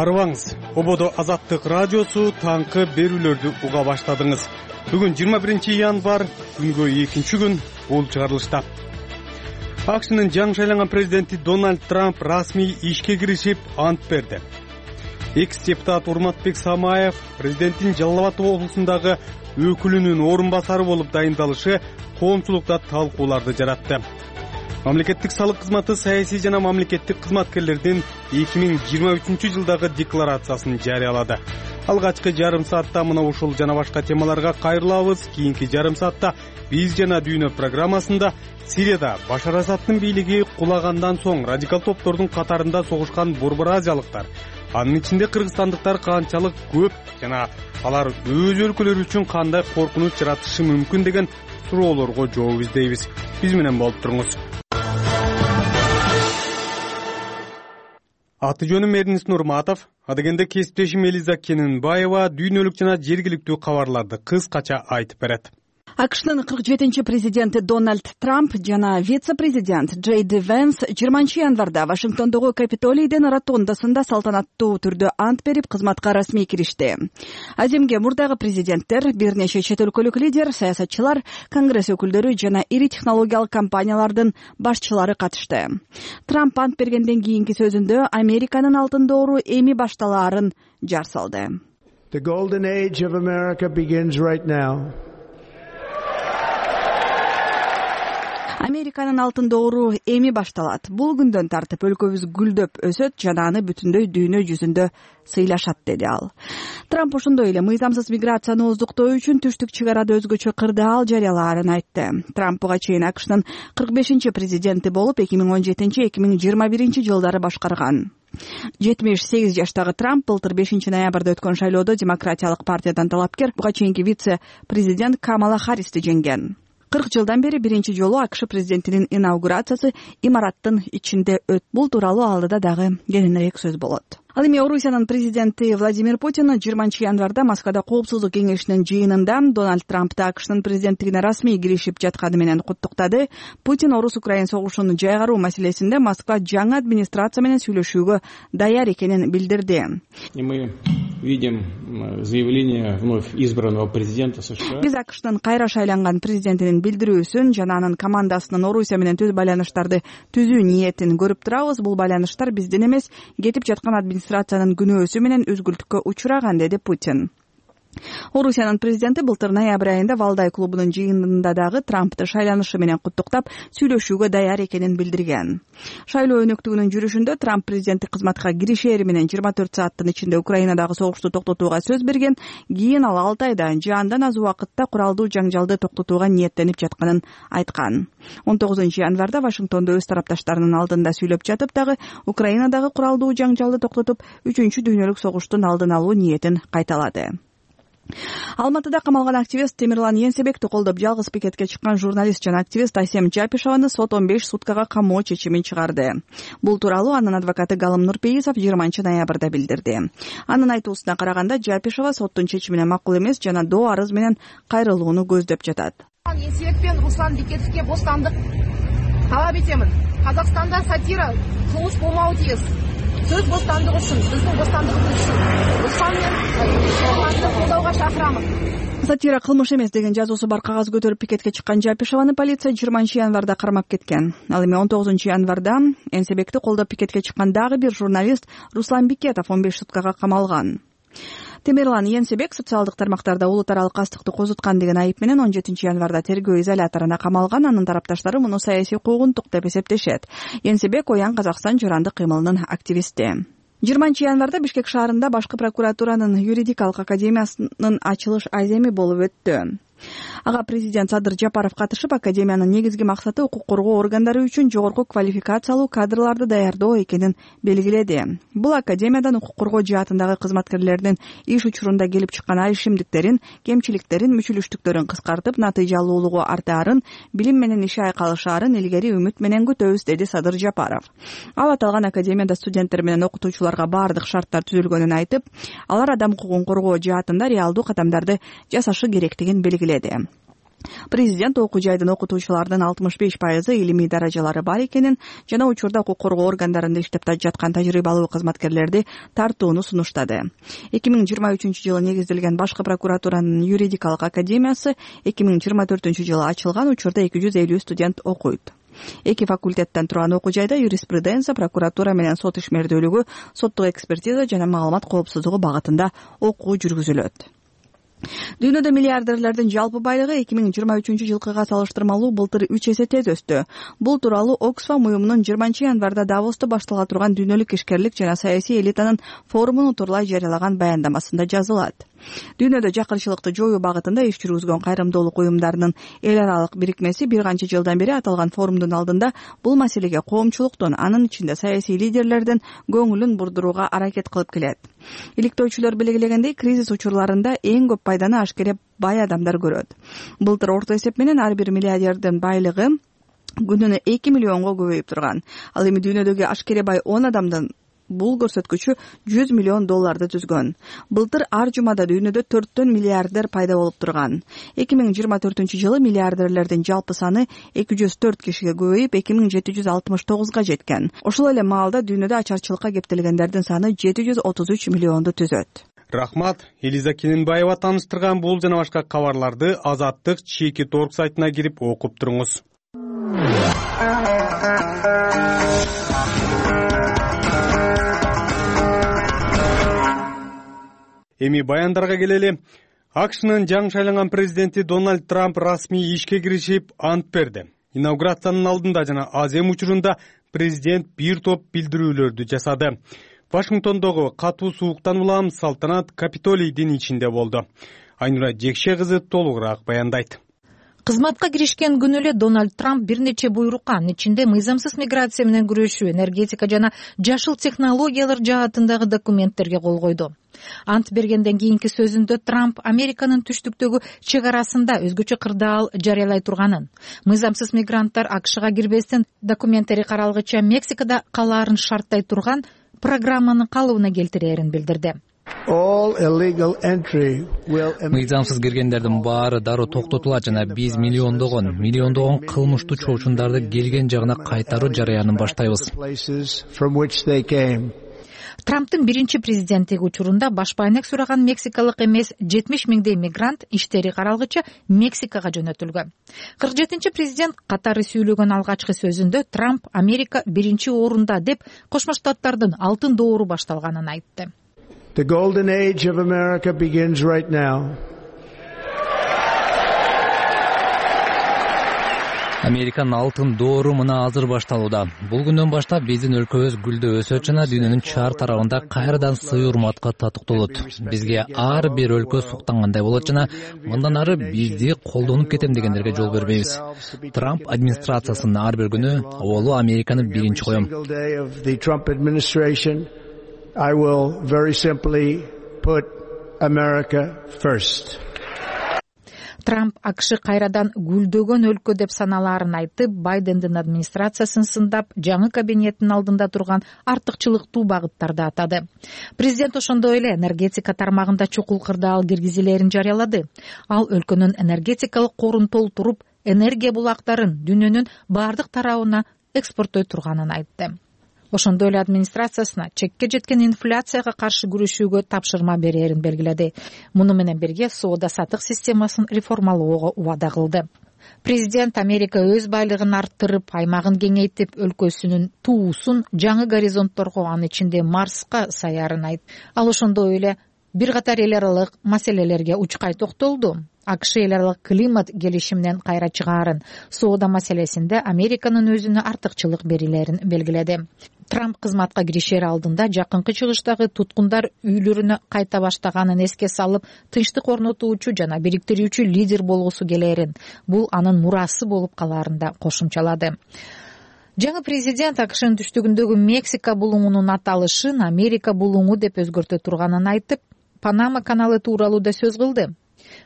Арыбаңыз, Ободо Азаттык радиосу таңкы берүүлөрдү уга баштадыңыз. Бүгүн 21 январь, күнгө 2 күн бул чыгарылышта. АКШнын жаңы шайланган президенти Дональд Трамп расмий ишке киришип ант берди. Экс-депутат Урматбек Самаев президенттин Жалал Абад облусундагы өкүлүнүн орун басары болуп дайындалышы коомчулукта талкууларды жаратты. Мамлекеттик салык кызматы саясий жана мамлекеттик кызматкерлердин 2023 жылдагы декларациясын жарыялады. Алгачкы жарым саатта мына ушул жана башка темаларга кайрылабыз. Кийинки жарым саатта биз жана дүйнө программасында Сирияда Башар Асадтын бийлиги кулагандан соң радикал топтордун катарында согушкан борбор азиялыктар, анын ичинде кыргызстандыктар канчалык көп жана алар өз өлкөлөрү үчүн кандай коркунуч жаратышы мүмкүн деген суроолорго жооп издейбиз. Биз менен болуп туруңуз. Аты жөнүм Эрнис Нурматов, адегенде кесиптешим Элиза Кененбаева дүйнөлүк жана жергиликтүү кабарларды кыскача айтып берет. АКШнын 47-чи президенти Дональд Трамп жана вице-президент Джей Ди Венс 20 январда Вашингтондогу Капитолийдин ротондасында салтанаттуу түрдө ант берип кызматка расмий киришти. Аземге мурдагы президенттер, бир нече чет өлкөлүк лидер, саясатчылар, конгресс өкүлдөрү жана ири технологиялык компаниялардын башчылары катышты. Трамп ант бергенден кийинки сөзүндө Американын алтын доору эми башталаарын жар салды. The golden age of America begins right now. Американын алтын доору эми башталат. Бул күндөн тартып өлкөбүз гүлдөп өсөт жана аны бүтүндөй дүйнө жүзүндө сыйлашат, деди ал. Трамп ошондой эле мыйзамсыз миграцияны оздуктоо үчүн түштүк чек арада өзгөчө кырдаал жарыялаарын айтты. Трамп буга чейин АКШнын 45-чи президенти болуп 2017-2021 жылдары башкарган. 78 жаштагы Трамп былтыр 5 ноябрда өткөн шайлоодо Демократиялык партиядан талапкер, буга чейинки вице-президент Камала Харристи жеңген. 40 жылдан бери биринчи жолу АКШ президентинин инаугурациясы имараттын ичинде өттү. Бул тууралуу алдыда дагы кененирээк сөз болот. Ал эми Орусиянын президенти Владимир Путин 20 январда Москвада Коопсуздук кеңешинин жыйынында Дональд Трампты АКШнын президенттигине расмий киришип жатканы менен куттуктады. Путин Орус-Украин согушун жайгаруу маселесинде Москва жаңы администрация менен сүйлөшүүгө даяр экенин билдирди. Мы видим заявление вновь избранного президента США. Биз АКШнын кайра шайланган президентинин билдирүүсүн жана анын командасынын Орусия менен түз байланыштарды түзүү ниетин көрүп турабыз. Бул байланыштар бизден эмес, кетип жаткан администрациянын күнөөсү менен үзгүлтүккө учураган, деди Путин. Орусиянын президенти былтыр ноябрь айында Валдай клубунун жыйынында дагы Трампты шайланышы менен куттуктап, сүйлөшүүгө даяр экенин билдирген. Шайлоо өнөктүгүнүн жүрүшүндө Трамп президенттик кызматка киришери менен 24 сааттын ичинде Украинадагы согушту токтотууга сөз берген. Кийин ал 6 айда же андан аз убакытта куралдуу жаңжалды токтотууга ниеттенип жатканын айткан. 19 январда Вашингтондо өз тарапташтарынын алдында сүйлөп жатып дагы Украинадагы куралдуу жаңжалды токтотуп, 3-чү дүйнөлүк согуштун алдын алуу ниетин кайталады. Алматыда камалган активист Темирлан Енсебекти колдоп жалгыз пикетке чыккан журналист жана активист Айсем Жапишеваны сот 15 суткага камоо чечимин чыгарды. Бул тууралуу анын адвокаты Галым Нурпейисов 20 ноябрда билдирди. Анын айтуусуна караганда Жапишева соттун чечимине макул эмес жана доо арыз менен кайрылууну көздөп жатат. Енсебек пен Руслан Бекетовке бостандык талап этемин. Казакстанда сатира кылмыш болмауы тийиз. Сөз бостандыгы үчүн, биздин бостандыгыбыз үчүн Руслан менен колдоого чакырамын. Сатира кылмыш эмес деген жазуусу бар кагаз көтөрүп пикетке чыккан Жапишеваны полиция 20 январда кармап кеткен. Ал эми 19 январда Енсебекти колдоп пикетке чыккан дагы бир журналист Руслан Бекетов 15 суткага камалган. Темирлан Енсебек социалдык тармактарда улут аралык кастыкты козуткан деген айып менен 17 январда тергөө изоляторуна камалган. Анын тарапташтары муну саясий куугунтук деп эсептешет. Енсебек Оян Казакстан журандык кыймылынын активисти. 20 январда Бишкек шаарында башкы прокуратуранын юридикалык академиясынын ачылыш аземи болуп өттү. Ага президент Садыр Жапаров катышып, академиянын негизги максаты укук коргоо органдары үчүн жогорку квалификациялуу кадрларды даярдоо экенин белгиледи. Бул академиядан укук коргоо жаатындагы кызматкерлердин иш учурунда келип чыккан айшимдиктерин, кемчиликтерин, мүчүлүштүктөрүн кыскартып, натыйжалуулугу артаарын, билим менен иши айкалышаарын илгери үмүт менен күтөбүз, деди Садыр Жапаров. Ал аталган академияда студенттер менен окутуучуларга бардык шарттар түзүлгөнүн айтып, алар адам укугун коргоо жаатында реалдуу кадамдарды жасашы керектигин белгиледи. Президент окуу жайдын окутуучуларынын 65% илимий даражалары бар экенин жана учурда укук коргоо органдарында иштеп жаткан тажрыйбалуу кызматкерлерди тартууну сунуштады. 2023-жылы негизделген Башкы прокуратуранын юридикалык академиясы 2024-жылы ачылган, учурда 250 студент окуйт. Эки факультеттен турган окуу жайда юриспруденция, прокуратура менен сот ишмердүүлүгү, соттук экспертиза жана маалымат коопсуздугу багытында окуу жүргүзүлөт. Дүйнөдө миллиардерлердин жалпы байлыгы 2023-жылкыга салыштырмалуу былтыр 3 эсе тез өстү. Бул тууралуу Оксфам уюмунун 20-январда Давоста баштала турган дүйнөлүк ишкерлик жана саясий элитанын форумун утурлай жарыялаган баяндамасында жазылат. Дүйнөдө жакырчылыкты жоюу багытында иш жүргүзгөн кайрымдуулук уюмдарынын эл аралык бирикмеси бир канча жылдан бери аталган форумдун алдында бул маселеге коомчулуктун, анын ичинде саясий лидерлердин көңүлүн бурдурууга аракет кылып келет. Иликтөөчүлөр белгилегендей, кризис учурларында эң көп пайданы ашкере бай адамдар көрөт. Былтыр орто эсеп менен ар бир миллиардердин байлыгы күнүнө 2 миллионго көбөйүп турган. Ал эми дүйнөдөгү ашкере бай 10 адамдын бул көрсөткүчү $100 миллион түзгөн. Былтыр ар жумада дүйнөдө 4 миллиардер пайда болуп турган. 2024-жылы миллиардерлердин жалпы саны 204 кишиге көбөйүп 2769га жеткен. Ошол эле маалда дүйнөдө ачарчылыкка кептелгендердин саны 733 миллионду түзөт. Рахмат. Элиза Кененбаева тааныштырган бул жана башка кабарларды Азаттык чеки торг сайтына кирип окуп туруңуз. Эми баяндарга келели. АКШнын жаңы шайланган президенти Дональд Трамп расмий ишке киришип ант берди. Инаугурациянын алдында жана азем учурунда президент бир топ билдирүүлөрдү жасады. Вашингтондогу катуу сууктан улам салтанат Капитолийдин ичинде болду. Айнура Жекше кызы толугураак баяндайт. Кызматка киришкен күнү эле Дональд Трамп бир нече буйрукка, анын ичинде мыйзамсыз миграция менен күрөшүү, энергетика жана жашыл технологиялар жаатындагы документтерге кол койду. Ант бергенден кийинки сөзүндө Трамп Американын түштүктөгү чек арасында өзгөчө кырдаал жарыялай турганын, мыйзамсыз мигранттар АКШга кирбестен документтери каралгыча Мексикада калаарын шарттай турган программаны калыбына келтирээрин билдирди. Мыйзамсыз киргендердин баары дароо токтотулат жана биз миллиондогон кылмыштуу чоочундарды келген жагына кайтаруу жарыянын баштайбыз. Трамптын биринчи президенттиги учурунда башпайнек сураган мексикалык эмес 70 миңдей мигрант иштери каралгыча Мексикага жөнөтүлгөн. 47-чи президент катары сүйлөгөн алгачкы сөзүндө Трамп Америка биринчи орунда деп Кошмо Штаттардын алтын доору башталганын айтты. The golden age of America begins right now. Американын алтын доору мына азыр башталууда. Бул күндөн баштап биздин өлкөбүз гүлдөп өсөт жана дүйнөнүн чар тарабында кайрадан сый урматка татыктуулут. Бизге ар бир өлкө суктангандай болот жана мындан ары бизди колдонуп кетем дегендерге жол бербейбиз. Трамп администрациясынын ар бир күнү оболу Американы биринчи коем. I will very simply put America first. Трамп АКШ кайрадан гүлдөгөн өлкө деп саналаарын айтып, Байдендин администрациясын сындап, жаңы кабинеттин алдында турган артыкчылыктуу багыттарды атады. Президент ошондой эле энергетика тармагында чукул кырдаал киргизилерин жарыялады. Ал өлкөнүн энергетикалык корун толтуруп, энергия булактарын дүйнөнүн бардык тарабына экспорттой турганын айтты. Ошондой эле администрациясына чекке жеткен инфляцияга каршы күрөшүүгө тапшырма берерин белгиледи. Муну менен бирге соода-саттык системасын реформалоого убада кылды. Президент Америка өз байлыгын арттырып, аймагын кеңейтип, өлкөсүнүн туусун жаңы горизонтторго, анын ичинде Марска саярын айтты. Ал ошондой эле бир катар эл аралык маселелерге учкай токтолду. АКШ эл аралык климат келишиминен кайра чыгаарын, соода маселесинде Американын өзүнө артыкчылык берилерин белгиледи. Трамп кызматка киришер алдында жакынкы чыгыштагы туткундар үйлөрүнө кайта баштаганын эске салып, тынчтык орнотуучу жана бириктирүүчү лидер болгусу келерин, бул анын мурасы болуп калаарын да кошумчалады. Жаңы президент АКШнын түштүгүндөгү Мексика булуңунун аталышын Америка булуңу деп өзгөртө турганын айтып, Панама каналы тууралуу да сөз кылды.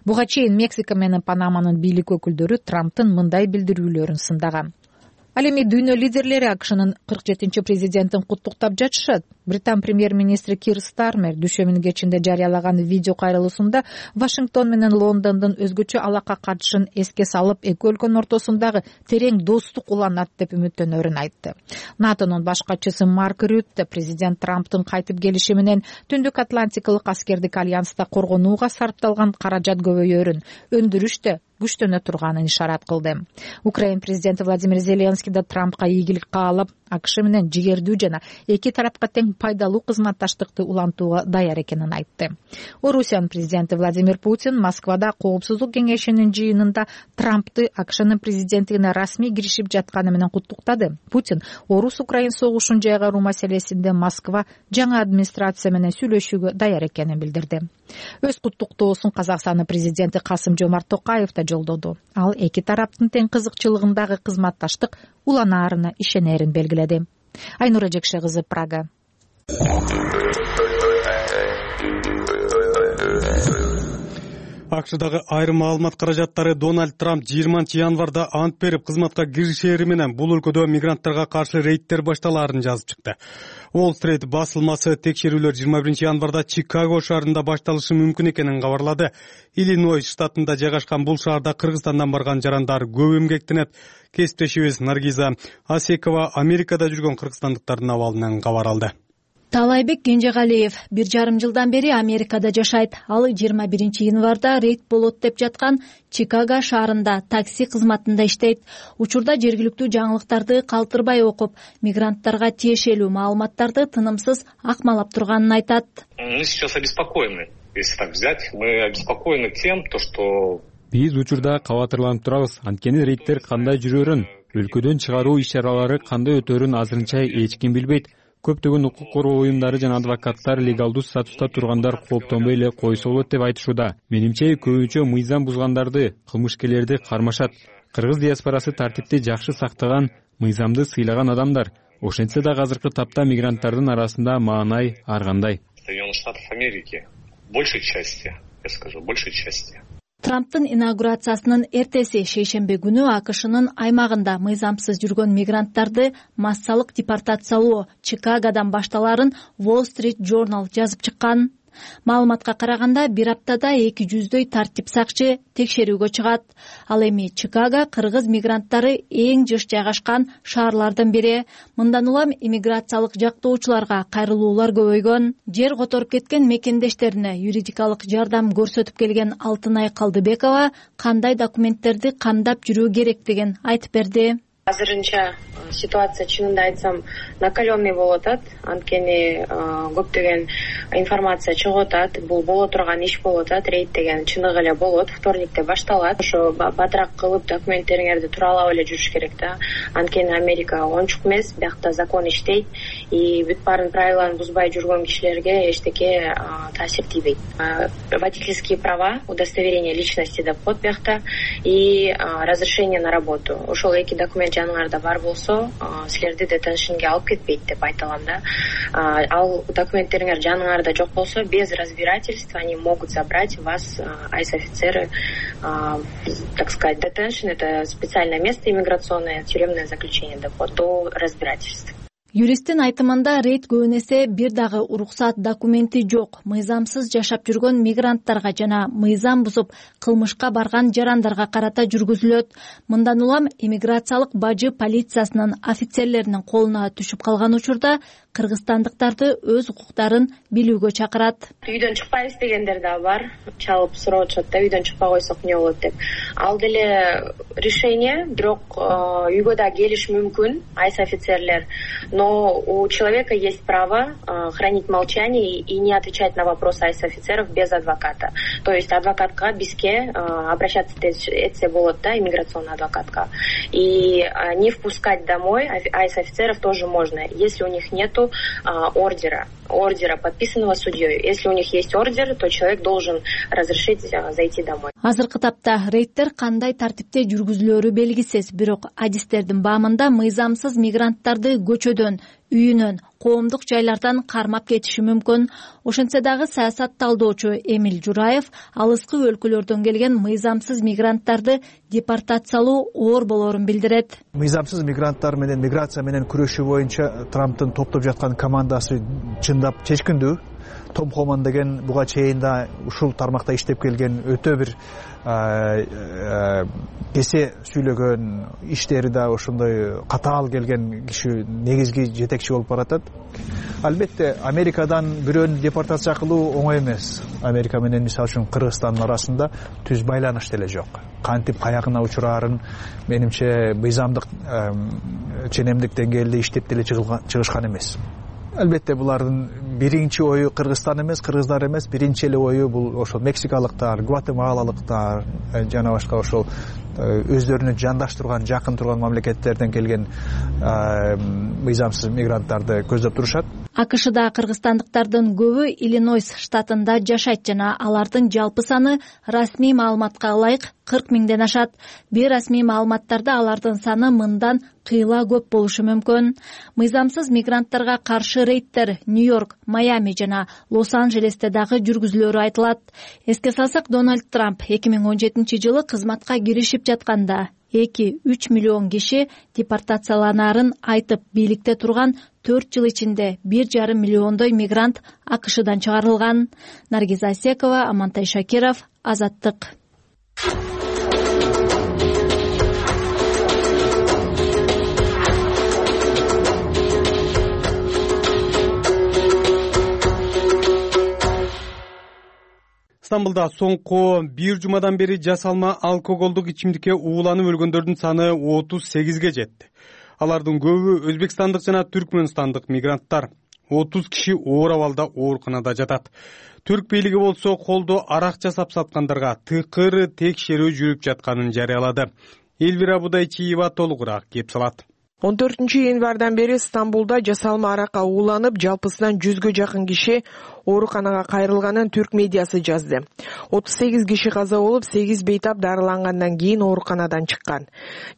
Буга чейин Мексика менен Панаманын бийлик өкүлдөрү Трамптын мындай билдирүүлөрүн сындаган. Ал эми дүйнө лидерлери АКШнын 47-чи президентин куттуктап жатышат. Британ премьер-министри Кир Стармер дүйшөмбүнүн кечинде жарыялаган видео кайрылуусунда Вашингтон менен Лондондун өзгөчө алака катышын эске салып, эки өлкөнүн ортосундагы терең достук уланат деп үмүттөнөрүн айтты. НАТОнун башкачысы Марк Рютте президент Трамптын кайтып келиши менен Түндүк Атлантикалык аскердик альянста коргонууга сарпталган каражат көбөйөрүн, өндүрүш да күчтөнө турганын ишарат кылды. Украина президенти Владимир Зеленский да Трампка ийгилик каалап, АКШ менен жигердүү жана эки тарапка тең пайдалуу кызматташтыкты улантууга даяр экенин айтты. Орусиянын президенти Владимир Путин Москвада Коопсуздук кеңешинин жыйынында Трампты АКШнын президенттигине расмий киришип жатканы менен куттуктады. Путин Орус-Украин согушун жайгаруу маселесинде Москва жаңы администрация менен сүйлөшүүгө даяр экенин билдирди. Өз куттуктоосун Казакстандын президенти Касым-Жомарт Токаев да жолдоду. Ал эки тараптын тең кызыкчылыгындагы кызматташтык уланаарына ишенерин белгиледи. Айнура Жекше кызы, Прага. АКШдагы айрым маалымат каражаттары Дональд Трамп 20-январда ант берип кызматка киришери менен бул өлкөдө мигранттарга каршы рейдтер башталаарын жазып чыкты. Уолл-стрит басылмасы текшерүүлөр 21-январда Чикаго шаарында башталышы мүмкүн экенин кабарлады. Иллинойс штатында жайгашкан бул шаарда Кыргызстандан барган жарандар көп эмгектенет. Кесиптешибиз Наргиза Асекова Америкада жүргөн кыргызстандыктардын абалынан кабар алды. Таалайбек Кенжегалиев 1,5 жылдан бери Америкада жашайт. Ал 21-январда рейд болот деп жаткан Чикаго шаарында такси кызматында иштейт. Учурда жергиликтүү жаңылыктарды калтырбай окуп, мигранттарга тиешелүү маалыматтарды тынымсыз акмалап турганын айтат. Мы сейчас обеспокоены, если так взять. Мы обеспокоены тем, что биз учурда кабатырланып турабыз. Анткени рейдтер кандай жүрөрүн, өлкөдөн чыгаруу иш-чаралары кандай өтөрүн азырынча эч ким билбейт. Көптөгөн укук коргоо уюмдары жана адвокаттар легалдуу статуста тургандар кооптонбой эле койсо болот деп айтышууда. Менимче көбүнчө мыйзам бузгандарды, кылмышкерлерди кармашат. Кыргыз диаспорасы тартипти жакшы сактаган, мыйзамды сыйлаган адамдар. Ошентсе да азыркы тапта мигранттардын арасында маанай ар кандай. Соединенных Штатов Америки большей части, я скажу, большей части. Трамптын инаугурациясынын эртеси шейшемби күнү АКШнын аймагында мыйзамсыз жүргөн мигранттарды массалык депортациялоо Чикагодан башталарын Wall-Street Journal жазып чыккан. Маалыматка караганда бир аптада 200дөй тартип сакчы текшерүүгө чыгат. Ал эми Чикаго кыргыз мигранттары эң жыш жайгашкан шаарлардын бири. Мындан улам иммиграциялык жактоочуларга кайрылуулар көбөйгөн. Жер которуп кеткен мекендештерине юридикалык жардам көрсөтүп келген Алтынай Калдыбекова кандай документтерди кандап жүрүү керектигин айтып берди. Азырынча ситуация чынында айтсам накаленный болуп атат. Анткени көптөгөн информация чыгып атат. Бул боло турган иш болуп атат. Рейд деген чындыгы эле болот. Вторникте башталат. Ошо батыраак кылып документтериңерди туралап эле жүрүш керек да. Анткени Америка ончук эмес, биякта закон иштейт. И бүт баарын правиланы бузбай жүргөн кишилерге эчтеке таасир тийбейт. Водительские права, удостоверение личности деп коет биякта и разрешение на работу. Ошол эки документ жаныңарда бар болсо, силерди детеншнге алып кетпейт деп айта алам да. Ал документтериңер жаныңарда жок болсо, без разбирательства они могут забрать вас, айс-офицеры, так сказать, детеншн — это специальное место иммиграционное, тюремное заключение деп коет, до разбирательств. Юристтин айтымында рейд көбүн эсе бир дагы уруксат документи жок, мыйзамсыз жашап жүргөн мигранттарга жана мыйзам бузуп кылмышка барган жарандарга карата жүргүзүлөт. Мындан улам иммиграциялык бажы полициясынын офицерлеринин колуна түшүп калган учурда кыргызстандыктарды өз укуктарын билүүгө чакырат. Үйдөн чыкпайбыз дегендер да бар. Чалып сурап атышат да, үйдөн чыкпай койсок эмне болот деп. Ал деле решение, бирок үйгө да келиш мүмкүн айс-офицерлер. Но у человека есть право хранить молчание и не отвечать на вопросы айс-офицеров без адвоката. То есть адвокатка бизге обращаться этсе болот да, иммиграционный адвокатка. И не впускать домой айс-офицеров тоже можно, если у них нету ордера, подписанного судьей. Если у них есть ордер, то человек должен разрешить зайти домой. Азыркы тапта рейдтер кандай тартипте жүргүзүлөрү белгисиз, бирок адистердин баамында мыйзамсыз мигранттарды көчөдөн өңүрдөн, үйүнөн, коомдук жайлардан кармап кетиши мүмкүн. Ошентсе дагы саясат талдоочу Эмиль Жураев алыскы өлкөлөрдөн келген мыйзамсыз мигранттарды депортациялоо оор болорун билдирет. Мыйзамсыз мигранттар менен миграция менен күрөшүү боюнча Трамптын топтоп жаткан командасы чындап чечкиндүү. Том Холланд деген буга чейин да ушул тармакта иштеп келген өтө бир кесе сүйлөгөн, иштери да ошондой катаал келген киши негизги жетекчи болуп баратат. Албетте Америкадан бирөөнү депортация кылуу оңой эмес. Америка менен мисалы үчүн Кыргызстандын арасында түз байланыш деле жок. Кантип каягына учурарын менимче мыйзамдык ченемдик деңгээлде иштеп деле чыгышкан эмес. Албетте булардын биринчи ою Кыргызстан эмес, кыргыздар эмес, биринчи эле ою бул ошол мексикалыктар, гватемалалыктар жана башка ошол өздөрүнө жандаш турган, жакын турган мамлекеттерден келген мыйзамсыз мигранттарды көздөп турушат. АКШда кыргызстандыктардын көбү Иллинойс штатында жашайт жана алардын жалпы саны расмий маалыматка ылайык 40 миңден ашат. Бейрасмий маалыматтарда алардын саны мындан кыйла көп болушу мүмкүн. Мыйзамсыз мигранттарга каршы рейдтер Нью-Йорк, Майами жана Лос-Анджелесте дагы жүргүзүлөрү айтылат. Эске салсак, Дональд Трамп 2017-жылы кызматка киришип жатканда 2-3 миллион киши депортацияланарын айтып, бийликте турган 4 жыл ичинде 1,5 миллиондой мигрант АКШдан чыгарылган. Наргиза Асекова, Амантай Шакиров, Азаттык. Стамбулда соңку бир жумадан бери жасалма алкоголдук ичимдикке ууланып өлгөндөрдүн саны 38ге жетти. Алардын көбү өзбекстандык жана түркмөнстандык мигранттар. 30 киши оор абалда ооруканада жатат. Түрк бийлиги болсо колдо арак жасап саткандарга тыкыр текшерүү жүрүп жатканын жарыялады. Элвира Будайчиева толугураак кеп салат. 14-январдан бери Стамбулда жасалма аракка ууланып, жалпысынан 100гө жакын киши ооруканага кайрылганын түрк медиасы жазды. 38 киши каза болуп, 8 бейтап дарылангандан кийин ооруканадан чыккан.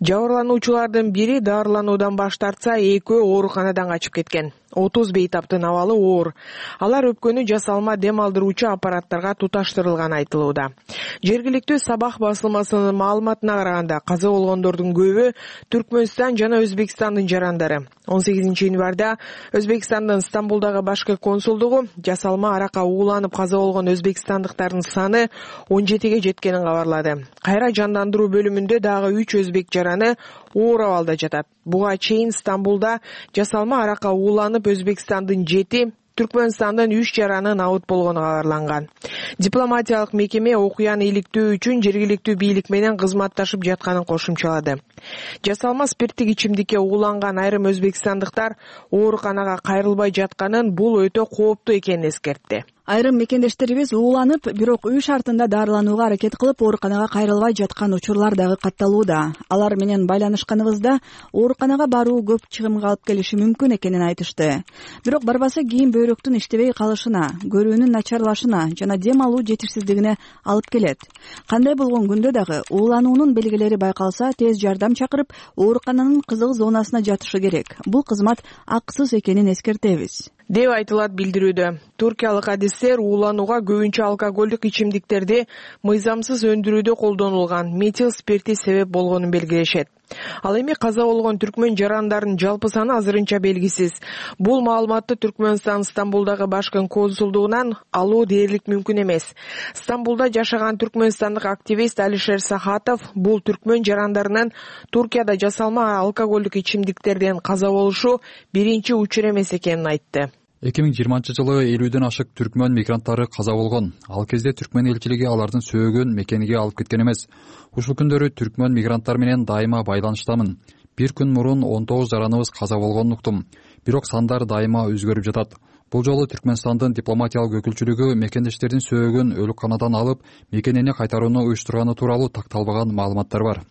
Жабырлануучулардын бири дарылануудан баш тартса, экөө ооруканадан качып кеткен. 30 бейтаптын абалы оор. Алар өпкөнү жасалма дем алдыруучу аппараттарга туташтырылганы айтылууда. Жергиликтүү Сабах басылмасынын маалыматына караганда, каза болгондордун көбү Түркмөнстан жана Өзбекстандын жарандары. 18-январда Өзбекстандын Стамбулдагы башкы консулдугу жасалма аракка ууланып каза болгон өзбекстандыктардын саны 17ге жеткенин кабарлады. Кайра жандандыруу бөлүмүндө дагы 3 өзбек жараны оор абалда жатат. Буга чейин Стамбулда жасалма аракка ууланып Өзбекстандын 7, Түркмөнстандын 3 жараны набыт болгону кабарланган. Дипломатиялык мекеме окуяны иликтөө үчүн жергиликтүү бийлик менен кызматташып жатканын кошумчалады. Жасалма спирттик ичимдикке ууланган айрым өзбекстандыктар ооруканага кайрылбай жатканын, бул өтө кооптуу экенин эскертти. Айрым мекендештерибиз ууланып, бирок үй шартында дарыланууга аракет кылып, ооруканага кайрылбай жаткан учурлар дагы катталууда. Алар менен байланышканыбызда ооруканага баруу көп чыгымга алып келиши мүмкүн экенин айтышты. Бирок барбаса кийин бөйрөктүн иштебей калышына, көрүүнүн начарлашына жана дем алуу жетишсиздигине алып келет. Кандай болгон күндө дагы уулануунун белгилери байкалса, тез жардам чакырып, оорукананын кызыл зонасына жатышы керек. Бул кызмат акысыз экенин эскертебиз, деп айтылат билдирүүдө. Туркиялык адистер ууланууга көбүнчө алкоголдук ичимдиктерди мыйзамсыз өндүрүүдө колдонулган метил спирти себеп болгонун белгилешет. Ал эми каза болгон түркмөн жарандардын жалпы саны азырынча белгисиз. Бул маалыматты Түркмөнстан Стамбулдагы башкы консулдугунан алуу дээрлик мүмкүн эмес. Стамбулда жашаган түркмөнстандык активист Алишер Сахатов бул түркмөн жарандарынын Туркияда жасалма алкоголдук ичимдиктерден каза болушу биринчи учур эмес экенин айтты. 2020-жылы 50ден ашык түркмөн мигранттары каза болгон. Ал кезде түркмөн элчилиги алардын сөөгөн мекениге алып кеткен эмес. Ушул күндөрү түркмөн мигранттар менен дайыма байланыштамын. Бир күн мурун 19 жараныбыз каза болгонун уктум. Бирок сандар дайыма өзгөрүп жатат. Бул жолу Түркмөнстандын дипломатиялык өкүлчүлүгү мекендештердин сөөгөн өлүкканадан алып, мекенине кайтарууну уюштурганы тууралуу такталбаган маалыматтар бар,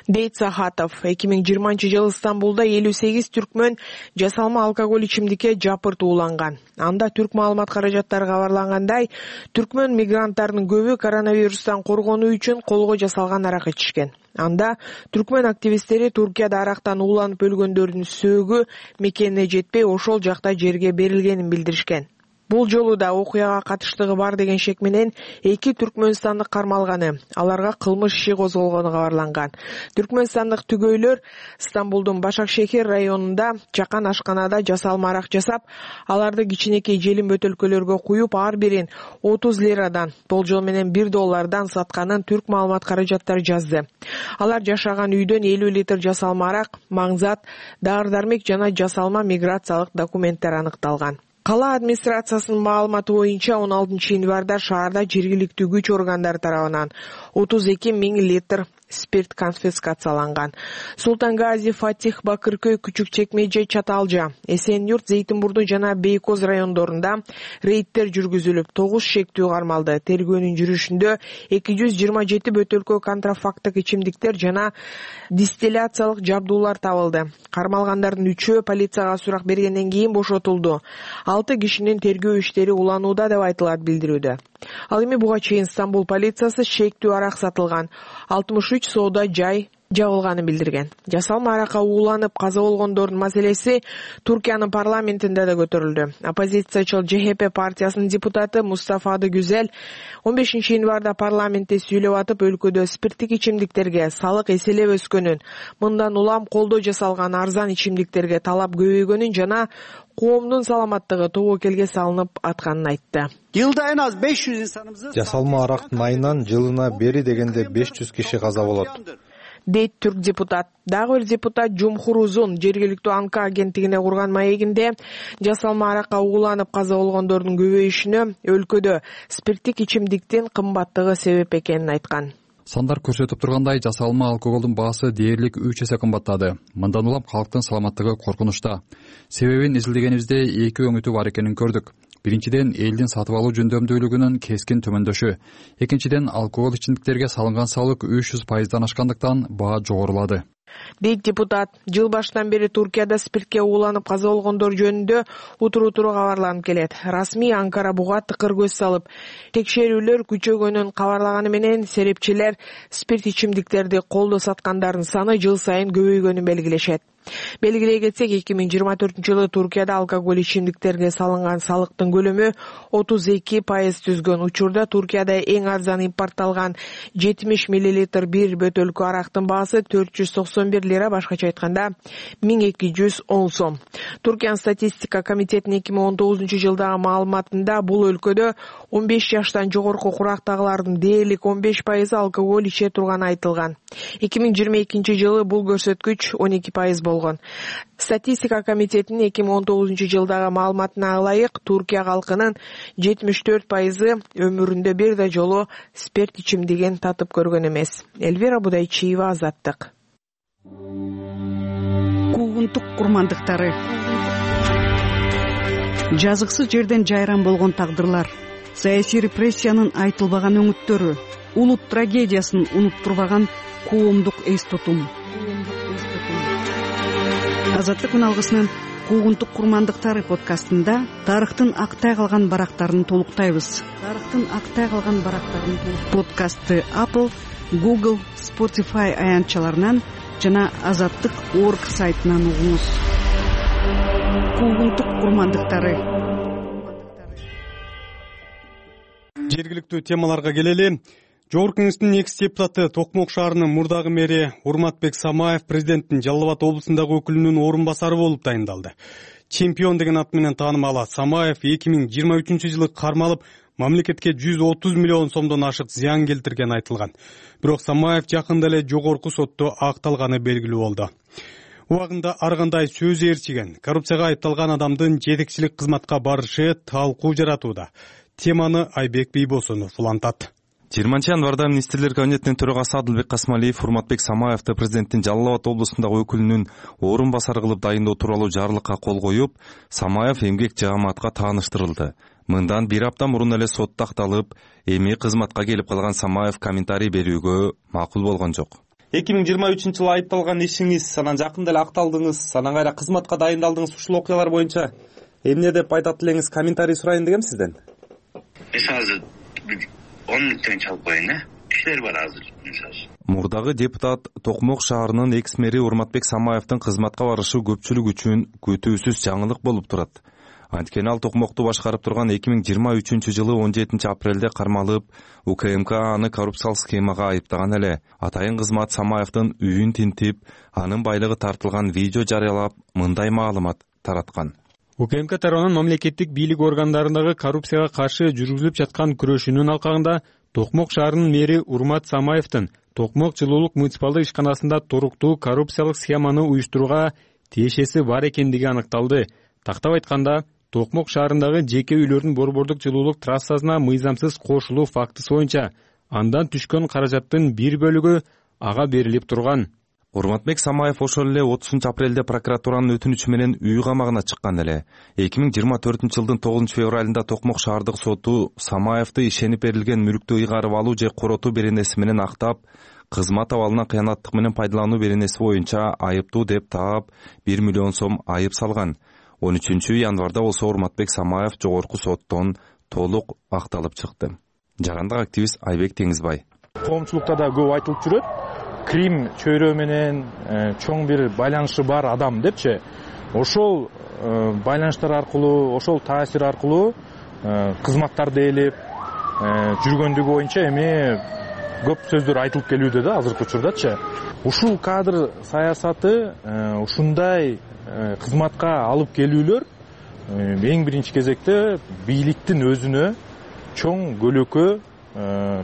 дейт Сахатов. 2020-жылы Стамбулда 58 түркмөн жасалма алкоголь ичимдикке жапырт ууланган. Анда түрк маалымат каражаттары кабарлангандай, түркмөн мигранттардын көбү коронавирустан коргонуу үчүн колго жасалган арак ичишкен. Анда түркмөн активисттери Туркияда арактан ууланып өлгөндөрдүн сөөгү мекенине жетпей ошол жакта жерге берилгенин билдиришкен. Бул жолу да окуяга катыштыгы бар деген шек менен 2 түркмөнстандык кармалганы, аларга кылмыш иши козголгону кабарланган. Түркмөнстандык түгөйлөр Стамбулдун Башакшехир районунда чакан ашканада жасалма арак жасап, аларды кичинекей желим бөтөлкөлөргө куюп, ар бирин 30 лирадан, болжол менен $1 сатканын түрк маалымат каражаттары жазды. Алар жашаган үйдөн 50 литр жасалма арак, маңзат, дары-дармек жана жасалма миграциялык документтер аныкталган. Кала администрациясынын маалыматы боюнча 16 январда шаарда жергиликтүү күч органдары тарабынан 32 000 литр спирт конфискацияланган. Султангази, Фатих, Бакыркөй, Күчүк Чекмеже, Чаталжа, Эсен-Юрт, Зейтинбурду жана Бейкоз райондорунда рейдтер жүргүзүлүп, 9 шектүү кармалды. Тергөөнүн жүрүшүндө 227 бөтөлкө контрафактык ичимдиктер жана дистилляциялык жабдуулар табылды. Кармалгандардын 3-өө полицияга сурак бергенден кийин бошотулду. 6 кишинин тергөө иштери уланууда деп айтылат билдирүүдө. Ал эми буга чейин Стамбул полициясы шектүү арак сатылган 63 соода жай жабылганын билдирген. Жасалма аракка ууланып каза болгондордун маселеси Туркиянын парламентинде да көтөрүлдү. Оппозициячыл ЧХП партиясынын депутаты Мустафа Гүзел 15 январда парламентте сүйлөп атып, өлкөдө спирттик ичимдиктерге салык эселеп өскөнүн, мындан улам колдоо жасалган арзан ичимдиктерге талап көбөйгөнүн жана коомдун саламаттыгы тобокелге салынып атканын айтты. Жылда en az 500 insanımızın жасалма арактын айынан жылына бери дегенде 500 киши каза болот, дейт түрк депутат. Дагы бир депутат Жумхур Узун жергиликтүү Анка агенттигине курган маегинде жасалма аракка ууланып каза болгондордун көбөйүшүнө өлкөдө спирттик ичимдиктин кымбаттыгы себеп экенин айткан. Сандар көрсөтүп тургандай, жасалма алкоголдун баасы дээрлик 3 эсе кымбаттады. Мындан улам калктын саламаттыгы коркунучта. Себебин изилдегенибизде 2 өңүтү бар экенин көрдүк. Биринчиден, элдин сатып алуу жөндөмдүүлүгүнүн кескин төмөндөшү. Экинчиден, алкогол ичимдиктерге салынган салык 300% ашкандыктан баа жогорулады. Дейт депутат, жыл башынан бери Туркияда спиртке ууланып каза болгондор жөнүндө утуру-утуру кабарланып келет. Расмий Анкара буга тыкыр көз салып, текшерүүлөр күчөгөнүн кабарлаганы менен серепчилер спирт ичимдиктерди колдо саткандардын саны жыл сайын көбөйгөнүн белгилешет. Белгилей кетсек, 2024-жылы Туркияда алкоголь ичимдиктерге салынган салыктын көлөмү 32% түзгөн. Учурда Туркияда эң арзан импортталган 70 мл бир бөтөлкө арактын баасы 491 лира, башкача айтканда 1210 сом. Туркиянын статистика комитетинин 2019-жылдагы маалыматында бул өлкөдө 15 жаштан жогорку курактагылардын дээрлик 15% алкоголь иче турганы айтылган. 2022-жылы бул көрсөткүч 12% болгон. Статистика комитетинин 2019-жылдагы маалыматына ылайык, Туркия калкынын 74% өмүрүндө бир да жолу спирт ичимдигин татып көргөн эмес. Элвира Будайчиева, Азаттык. Куугунтук курмандыктары. Жазыксыз жерден жайран болгон тагдырлар, саясий репрессиянын айтылбаган өңүттөрү, улут трагедиясын унуттурбаган коомдук эс тутум. Азаттык күн алгысынын Куугунтук курмандыктары подкастында тарыхтын актай калган барактарын толуктайбыз. Подкастты Apple, Google, Spotify аянтчаларынан жана Азаттык.org сайтынан угуңуз. Куугунтук курмандыктары. Жергиликтүү темаларга келели. Жогорку Кеңештин экс депутаты Токмок шаарынын мурдагы мэри Урматбек Самаев президенттин Жалал Абад облусундагы өкүлүнүн орун басары болуп дайындалды. Чемпион деген ат менен таанымал Самаев 2023-жылы кармалып, мамлекетке 130 миллион сомдон ашык зыян келтиргени айтылган. Бирок Самаев жакында эле жогорку сотто акталганы белгилүү болду. Убагында ар кандай сөз ээрчиген, коррупцияга айыпталган адамдын жетекчилик кызматка барышы талкуу жаратууда. Теманы Айбек Бийбосунов улантат. 20 январда министрлер кабинетинин төрагасы Адылбек Касмалиев Урматбек Самаевди президенттин Жалал Абад облусундагы өкүлүнүн орун басары кылып дайындоо тууралуу жарлыкка кол коюп, Самаев эмгек жааматка тааныштырылды. Мындан бир апта мурун эле сотто акталып, эми кызматка келип калган Самаев комментарий берүүгө макул болгон жок. 2023-жылы айыпталган ишиңиз, анан жакында эле акталдыңыз, анан кайра кызматка дайындалдыңыз, ушул окуялар боюнча эмне деп айтат элеңиз, комментарий сурайын дегем сизден. Азыр 10 мүнөттөн чалып коеюн, кишилер бар азыр. Мурдагы депутат Токмок шаарынын экс-мэри Урматбек Самаевдин кызматка барышы көпчүлүк үчүн күтүүсүз жаңылык болуп турат. Анткени ал Токмокту башкарып турган 2023-жылы 17-апрелде кармалып, УКМК аны коррупциялык схемага айыптаган эле. Атайын кызмат Самаевдин үйүн тинтип, анын байлыгы тартылган видео жарыялап, мындай маалымат тараткан. УКМК тарабынан мамлекеттик бийлик органдарындагы коррупцияга каршы жүргүзүлүп жаткан күрөшүүнүн алкагында Токмок шаарынын мэри Урмат Самаевдин Токмок жылуулук муниципалдык ишканасында туруктуу коррупциялык схеманы уюштурууга тиешеси бар экендиги аныкталды. Тактап айтканда, Токмок шаарындагы жеке үйлөрдүн борбордук жылуулук трассасына мыйзамсыз кошулуу фактысы боюнча андан түшкөн каражаттын бир бөлүгү ага берилип турган. Урматбек Самаев ошол эле 30-апрелде прокуратуранын өтүнүчү менен үй камагына чыккан эле. 2024-жылдын 9-февралында Токмок шаардык соту Самаевди ишенип берилген мүлктү ыйгарып алуу же коротуу беренеси менен актап, кызмат абалынан кыянаттык менен пайдалануу беренеси боюнча айыптуу деп таап 1 миллион сом айып салган. 13-январда болсо Урматбек Самаев жогорку соттон толук акталып чыкты. Жарандык активист Айбек Теңизбай. Коомчулукта да көп айтылып жүрөт. Крим чөйрө менен чоң бир байланышы бар адам депчи. Ошол байланыштар аркылуу, ошол таасир аркылуу кызматтарды ээлеп жүргөндүгү боюнча эми көп сөздөр айтылып келүүдө да азыркы учурдачы. Ушул кадр саясаты ушундай кызматка алып келүүлөр эң биринчи кезекте бийликтин өзүнө чоң көлөкө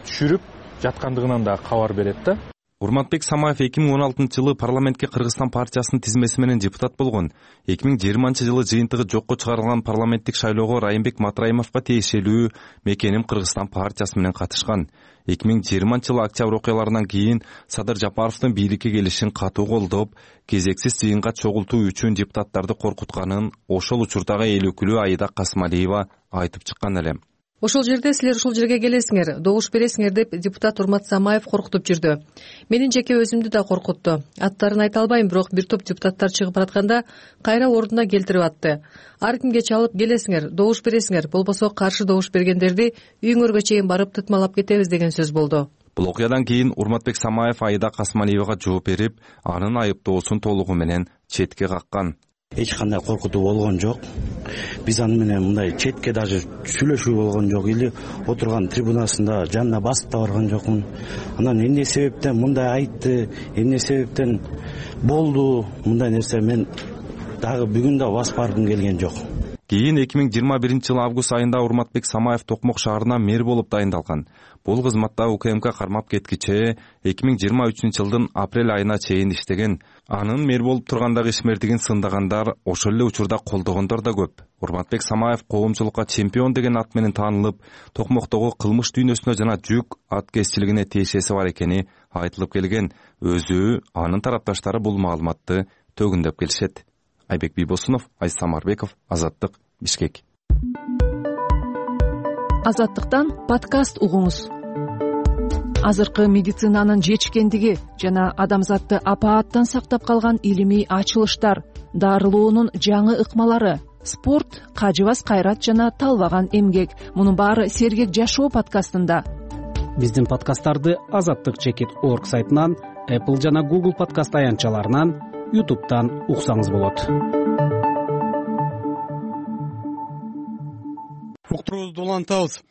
түшүрүп жаткандыгынан да кабар берет да. Урматбек Самаев 2016-жылы парламентке Кыргызстан партиясынын тизмеси менен депутат болгон. 2020-жылы жыйынтыгы жокко чыгарылган парламенттик шайлоого Райымбек Матраимовго тиешелүү Мекеним Кыргызстан партиясы менен катышкан. 2020-жылы октябрь окуяларынан кийин Садыр Жапаровдун бийликке келишин катуу колдоп, кезексиз жыйынга чогултуу үчүн депутаттарды коркутканын ошол учурдагы эл өкүлү Аида Касмалиева айтып чыккан эле. Ошол жерде силер ушул жерге келесиңер, добуш бересиңер деп депутат Урмат Самаев коркутуп жүрдү. Менин жеке өзүмдү да коркутту. Аттарын айта албайм, бирок бир топ депутаттар чыгып баратканда кайра ордуна келтирип атты. Ар кимге чалып келесиңер, добуш бересиңер, болбосо каршы добуш бергендерди үйүңөргө чейин барып тытмалап кетебиз деген сөз болду. Бул окуядан кийин Урматбек Самаев Аида Касмалиевага жооп берип, анын айыптоосун толугу менен четке каккан. Эч кандай коркутуу болгон жок. Биз аны менен мындай четке даже сүйлөшүү болгон жок. Или отурган трибунасында жанына басып да барган жокмун. Анан эмне себептен мындай айтты, эмне себептен болду, мындай нерсе мен дагы бүгүн да басып баргым келген жок. Кийин 2021-жылы август айында Урматбек Самаев Токмок шаарына мэр болуп дайындалган. Бул кызматта УКМК кармап кеткиче 2023-жылдын апрель айына чейин иштеген. Анын мэр болуп тургандагы ишмердигин сындагандар, ошол эле учурда колдогондор да көп. Урматбек Самаев коомчулукка чемпион деген ат менен таанылып, Токмоктогу кылмыш дүйнөсүнө жана жүк аткезчилигине тиешеси бар экени айтылып келген. Өзү, анын тарапташтары бул маалыматты төгүндөп келишет. Айбек Бийбосунов, Айса Самарбеков, Азаттык, Бишкек. Азаттыктан подкаст угуңуз. Азыркы медицинанын жетишкендиги жана адамзатты апааттан сактап калган илимий ачылыштар, дарылоонун жаңы ыкмалары, спорт, кажыбас кайрат жана талбаган эмгек. Мунун баары Сергек жашоо подкастында. Биздин подкасттарды Азаттык.org сайтынан, Apple жана Google подкаст аянтчаларынан, YouTube'дан уксаңыз болот. Уктуруубузду улантабыз.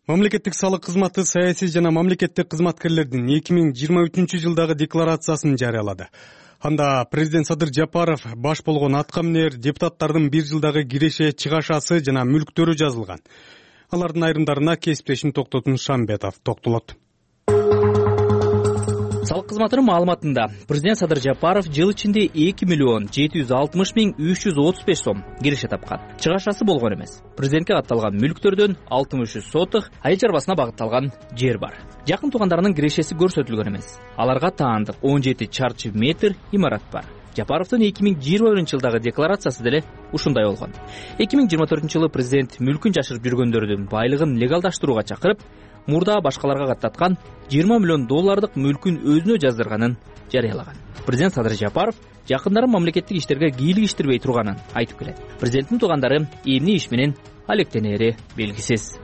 Мамлекеттик салык кызматы саясий жана мамлекеттик кызматкерлердин 2023-жылдагы декларациясын жарыялады. Анда президент Садыр Жапаров баш болгон аткаминер депутаттардын бир жылдагы киреше чыгашасы жана мүлктөрү жазылган. Алардын айрымдарына кесиптешим Токтотун Шамбетов токтолот. Салык кызматынын маалыматында президент Садыр Жапаров жыл ичинде 2.760.335 сом киреше тапкан. Чыгашасы болгон эмес. Президентке катталган мүлктөрдөн 63 сотых айыл чарбасына багытталган жер бар. Жакын туугандарынын кирешеси көрсөтүлгөн эмес. Аларга таандык 17 чарчы метр имарат бар. Жапаровдун 2021-жылдагы декларациясы деле ушундай болгон. 2024-жылы президент мүлкүн жашырып жүргөндөрдүн байлыгын легалдаштырууга чакырып, мурда башкаларга каттаткан $20 миллион мүлкүн өзүнө жаздырганын жарыялаган. Президент Садыр Жапаров жакындарын мамлекеттик иштерге кийлигиштирбей турганын айтып келет. Президенттин туугандары эмне иш менен алектенери белгисиз.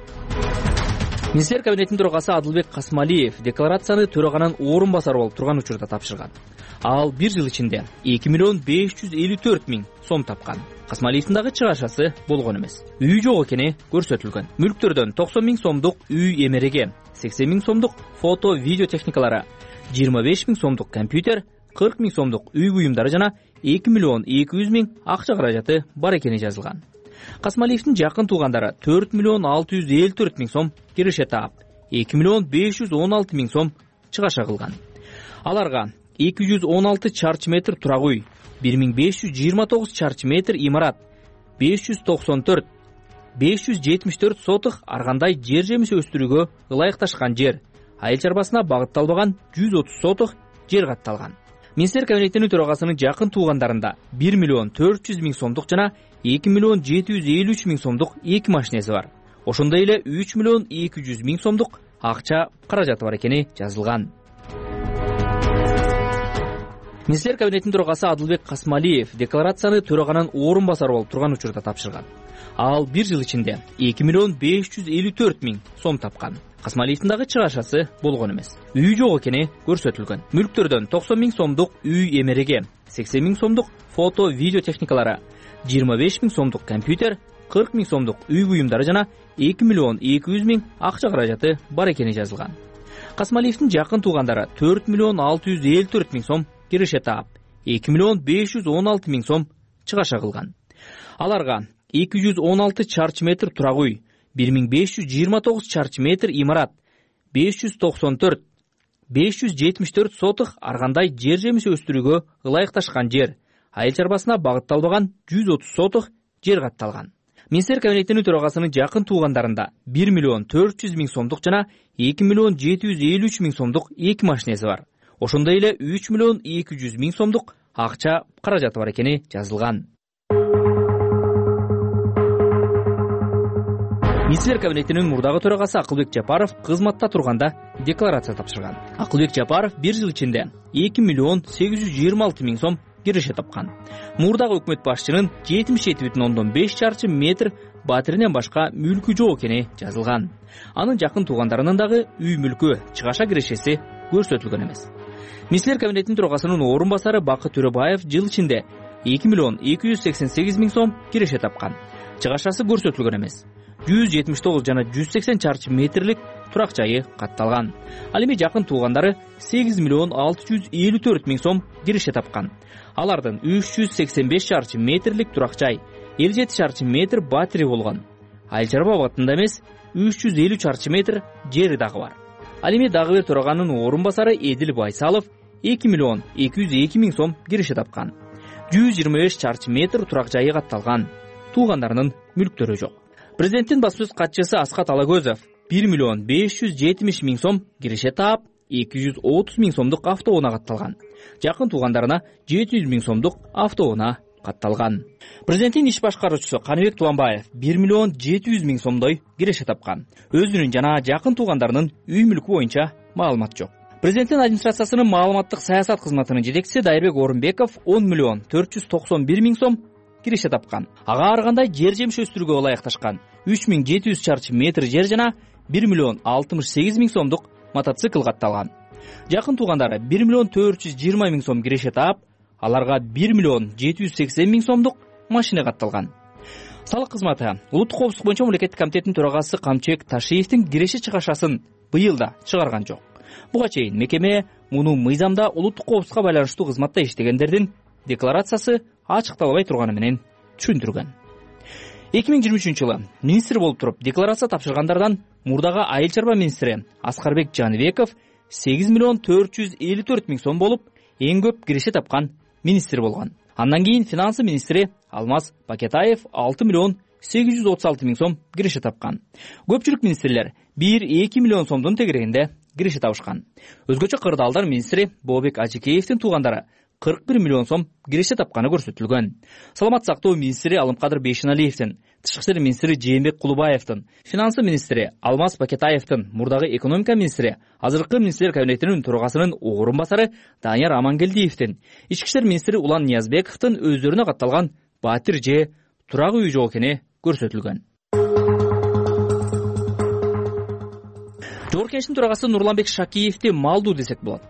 Министрлер кабинетинин төрагасы Адылбек Касмалиев декларацияны төраганын орун басары болуп турган учурда тапшырган. Ал 1 жыл ичинде 2 миллион 554 миң сом тапкан. Касмалиевдин дагы чыгашасы болгон эмес. Үй жок экени көрсөтүлгөн. Мүлктөрдөн 90 миң сомдук үй эмереги, 80 миң сомдук фото, видео техникалары, 25 миң сомдук компьютер, 40 миң сомдук үй буюмдары жана 2 миллион 200 миң акча каражаты бар экени жазылган. Касмалиевдин жакын туугандары 4 миллион 654 миң сом киреше таап, 2 миллион 516 миң сом чыгаша кылган. Аларга 216 чарчы метр турак үй, 1529 чарчы метр имарат, 574 сотых ар кандай жер жемиш өстүрүүгө ылайыкташкан жер, айыл чарбасына багытталбаган 130 сотых жер катталган. Министрлер кабинетинин төрагасынын жакын туугандарында 1 миллион 400 миң сомдук жана 2 миллион 753 миң сомдук эки машинеси бар. Ошондой эле 3 миллион 200 миң сомдук акча каражаты бар экени жазылган. Министрлер кабинетинин төрагасы Адылбек Касмалиев декларацияны төраганын орун басары болуп турган учурда тапшырган. Ал 1 жыл ичинде 2 миллион 554 миң сом тапкан. Касмалиевдин дагы чыгашасы болгон эмес. Үй жок экени көрсөтүлгөн. Мүлктөрдөн 90 миң сомдук үй эмереги, 80 миң сомдук фото, видео техникалары, 25 миң сомдук компьютер, 40 миң сомдук үй буюмдары жана 2 миллион 200 миң акча каражаты бар экени жазылган. Касмалиевдин жакын туугандары 4 миллион 654 миң сом киреше таап, 2 миллион 516 миң сом чыгаша кылган. Аларга 216 чарчы метр турак үй, 1529 чарчы метр имарат, 574 сотых ар кандай жер жемиш өстүрүүгө ылайыкташкан жер, айыл чарбасына багытталбаган 130 сотых жер катталган. Министрлер кабинетинин төрагасынын жакын туугандарында 1 миллион 400 миң сомдук жана 2 миллион 753 миң сомдук эки машинеси бар. Ошондой эле 3 миллион 200 миң сомдук акча каражаты бар экени жазылган. Министрлер кабинетинин мурдагы төрагасы Акылбек Жапаров кызматта турганда декларация тапшырган. Акылбек Жапаров 1 жыл ичинде 2 миллион 826 миң сом киреше тапкан. Мурдагы өкмөт башчынын 77,5 чарчы метр батиринен башка мүлкү жок экени жазылган. Анын жакын туугандарынын дагы үй мүлкү, чыгаша кирешеси көрсөтүлгөн эмес. Министрлер кабинетинин төрагасынын орун басары Бакыт Төрөбаев жыл ичинде 2 миллион 288 миң сом киреше тапкан. Чыгашасы көрсөтүлгөн эмес. 179 жана 180 чарчы метрлик турак жайы катталган. Ал эми жакын туугандары 8 миллион 654 миң сом киреше тапкан. Алардын 385 чарчы метрлик турак жай, 57 чарчы метр батири болгон. Айыл чарба абагында эмес, 350 чарчы метр жери дагы бар. Ал эми дагы бир төраганын орун басары Эдил Байсалов 2 миллион 202 миң сом киреше тапкан. 125 чарчы метр турак жайы катталган. Туугандарынын мүлктөрү жок. Президенттин баспасөз катчысы Аскат Алагөзов 1 миллион 570 миң сом киреше таап, 230 миң сомдук автоунаа катталган. Жакын туугандарына 700 миң сомдук автоунаа катталган. Президенттин иш башкаруучусу Каныбек Туланбаев 1 миллион 700 миң сомдой киреше тапкан. Өзүнүн жана жакын туугандарынын үй мүлкү боюнча маалымат жок. Президенттин администрациясынын маалыматтык саясат кызматынын жетекчиси Дайырбек Орунбеков 10 миллион 491 миң сом киреше тапкан. Ага ар кандай жер жемиш өстүрүүгө ылайыкташкан 3700 чарчы метр жер жана 1 миллион 68 миң сомдук мотоцикл катталган. Жакын туугандары 1 миллион 420 миң сом киреше таап, аларга 1 миллион 780 миң сомдук машина катталган. Салык кызматы улуттук коопсуздук боюнча мамлекеттик комитеттин төрагасы Камчыбек Ташиевдин киреше чыгашасын быйыл да чыгарган жок. Буга чейин мекеме муну мыйзамда улуттук коопсуздукка байланыштуу кызматта иштегендердин декларациясы ачыкталбай турганы менен түшүндүргөн. 2023 жылы министр болуп туруп декларация тапшыргандардан мурдагы айыл чарба министри Аскарбек Жаныбеков 8 миллион 454 миң сом болуп, эң көп киреше тапкан министр болгон. Андан кийин финансы министри Алмаз Пакетаев 6 миллион 836 миң сом киреше тапкан. Көпчүлүк министрлер 1-2 миллион сомдун тегерегинде киреше табышкан. Өзгөчө кырдаалдар министри Бообек Ажикеевдин туугандары 41 миллион сом киреше тапканы көрсөтүлгөн. Саламат сактоо министри Алымкадыр Бейшеналиевдин, тышкы иштер министри Жээнбек Кулубаевдин, финансы министри Алмаз Пакетаевдин, мурдагы экономика министри, азыркы министрлер кабинетинин төрагасынын орун басары Данияр Амангелдиевдин, ички иштер министри Улан Ниязбековдин өздөрүнө катталган батир же турак үй жок экени көрсөтүлгөн. Жогорку Кеңештин төрагасы Нурланбек Шакиевди малдуу десек болот.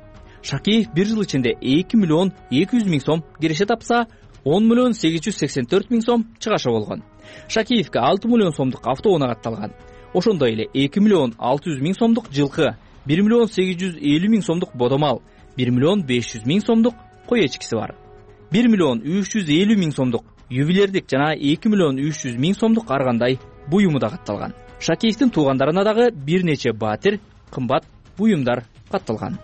Шакиев 1 жыл ичинде 2 миллион 200 миң сом киреше тапса, 10 миллион 884 миң сом чыгашы болгон. Шакиевге 6 миллион сомдук автоунаа катталган. Ошондой эле 2 миллион 600 миң сомдук жылкы, 1 миллион 850 миң сомдук бодомал, 1 миллион 500 миң сомдук кой эчкиси бар. 1 миллион 350 миң сомдук ювелирдик жана 2 миллион 300 миң сомдук ар кандай буюму да катталган. Шакиевдин туугандарына дагы бир нече баатир, кымбат буюмдар катталган.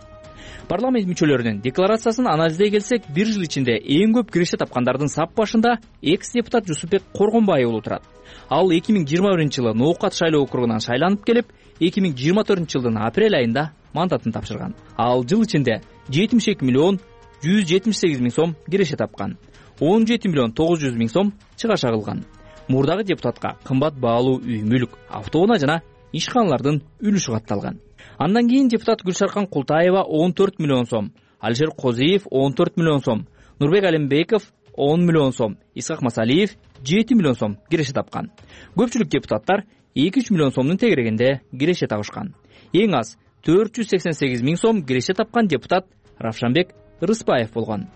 Парламент мүчөлөрүнүн декларациясын анализдей келсек, 1 жыл ичинде эң көп киреше тапкандардын сап башында экс-депутат Жусупбек Коргонбай уулу турат. Ал 2021-жылы Ноокат шайлоо округунан шайланып келип, 2024-жылдын апрель айында мандатын тапшырган. Ал жыл ичинде 72 миллион 178 миң сом киреше тапкан. 17 миллион 900 миң сом чыгаш кылган. Мурдагы депутатка кымбат баалуу үй-мүлк, автоунаа жана ишканалардын үлүшү катталган. Андан кийин депутат Гүлшаркан Култаева 14 миллион сом, Алишер Козиев 14 миллион сом, Нурбек Алимбеков 10 миллион сом, Исхак Масалиев 7 миллион сом киреше тапкан. Көпчүлүк депутаттар 2-3 миллион сомдун тегерегинде киреше табышкан. Эң аз 488 миң сом киреше тапкан депутат Равшанбек Рыспаев болгон.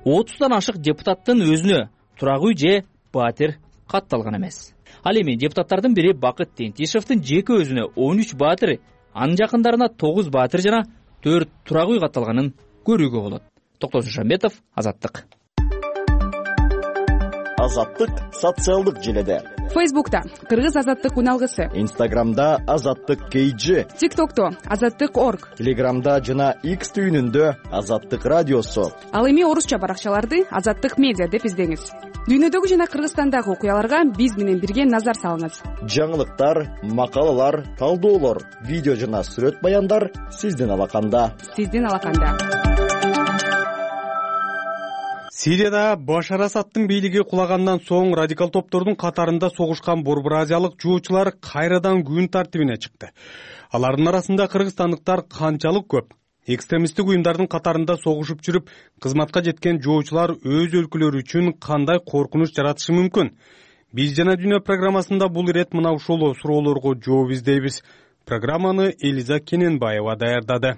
30дан ашык депутаттын өзүнө турак үй же баатир катталган эмес. Ал эми депутаттардын бири Бакыт Тентишевдин жеке өзүнө 13 баатир, анын жакындарына 9 баатир жана 4 турак үй катталганын көрүүгө болот. Токтосун Шамбетов, Азаттык. Азаттык социалдык желеде. Фейсбукта Кыргыз Азаттык уналгысы. Инстаграмда Азаттык KG. ТикТокто Азаттык.org. Телеграмда жана X түйүнүндө Азаттык радиосу. Ал эми орусча баракчаларды Азаттык медиа деп издеңиз. Дүйнөдөгү жана Кыргызстандагы окуяларга биз менен бирге назар салыңыз. Жаңылыктар, макалалар, талдоолор, видео жана сүрөт баяндар сиздин алаканда. Сирияда Башар Асадтын бийлиги кулагандан соң радикал топтордун катарында согушкан борбор азиялык жоочулар кайрадан күн тартибине чыкты. Алардын арасында кыргызстандыктар канчалык көп. Экстремисттик уюмдардын катарында согушуп жүрүп, кызматка жеткен жоочулар өз өлкөлөрү үчүн кандай коркунуч жаратышы мүмкүн? Биз жана дүйнө программасында бул ирет мына ушул суроолорго жооп издейбиз. Программаны Элиза Кененбаева даярдады.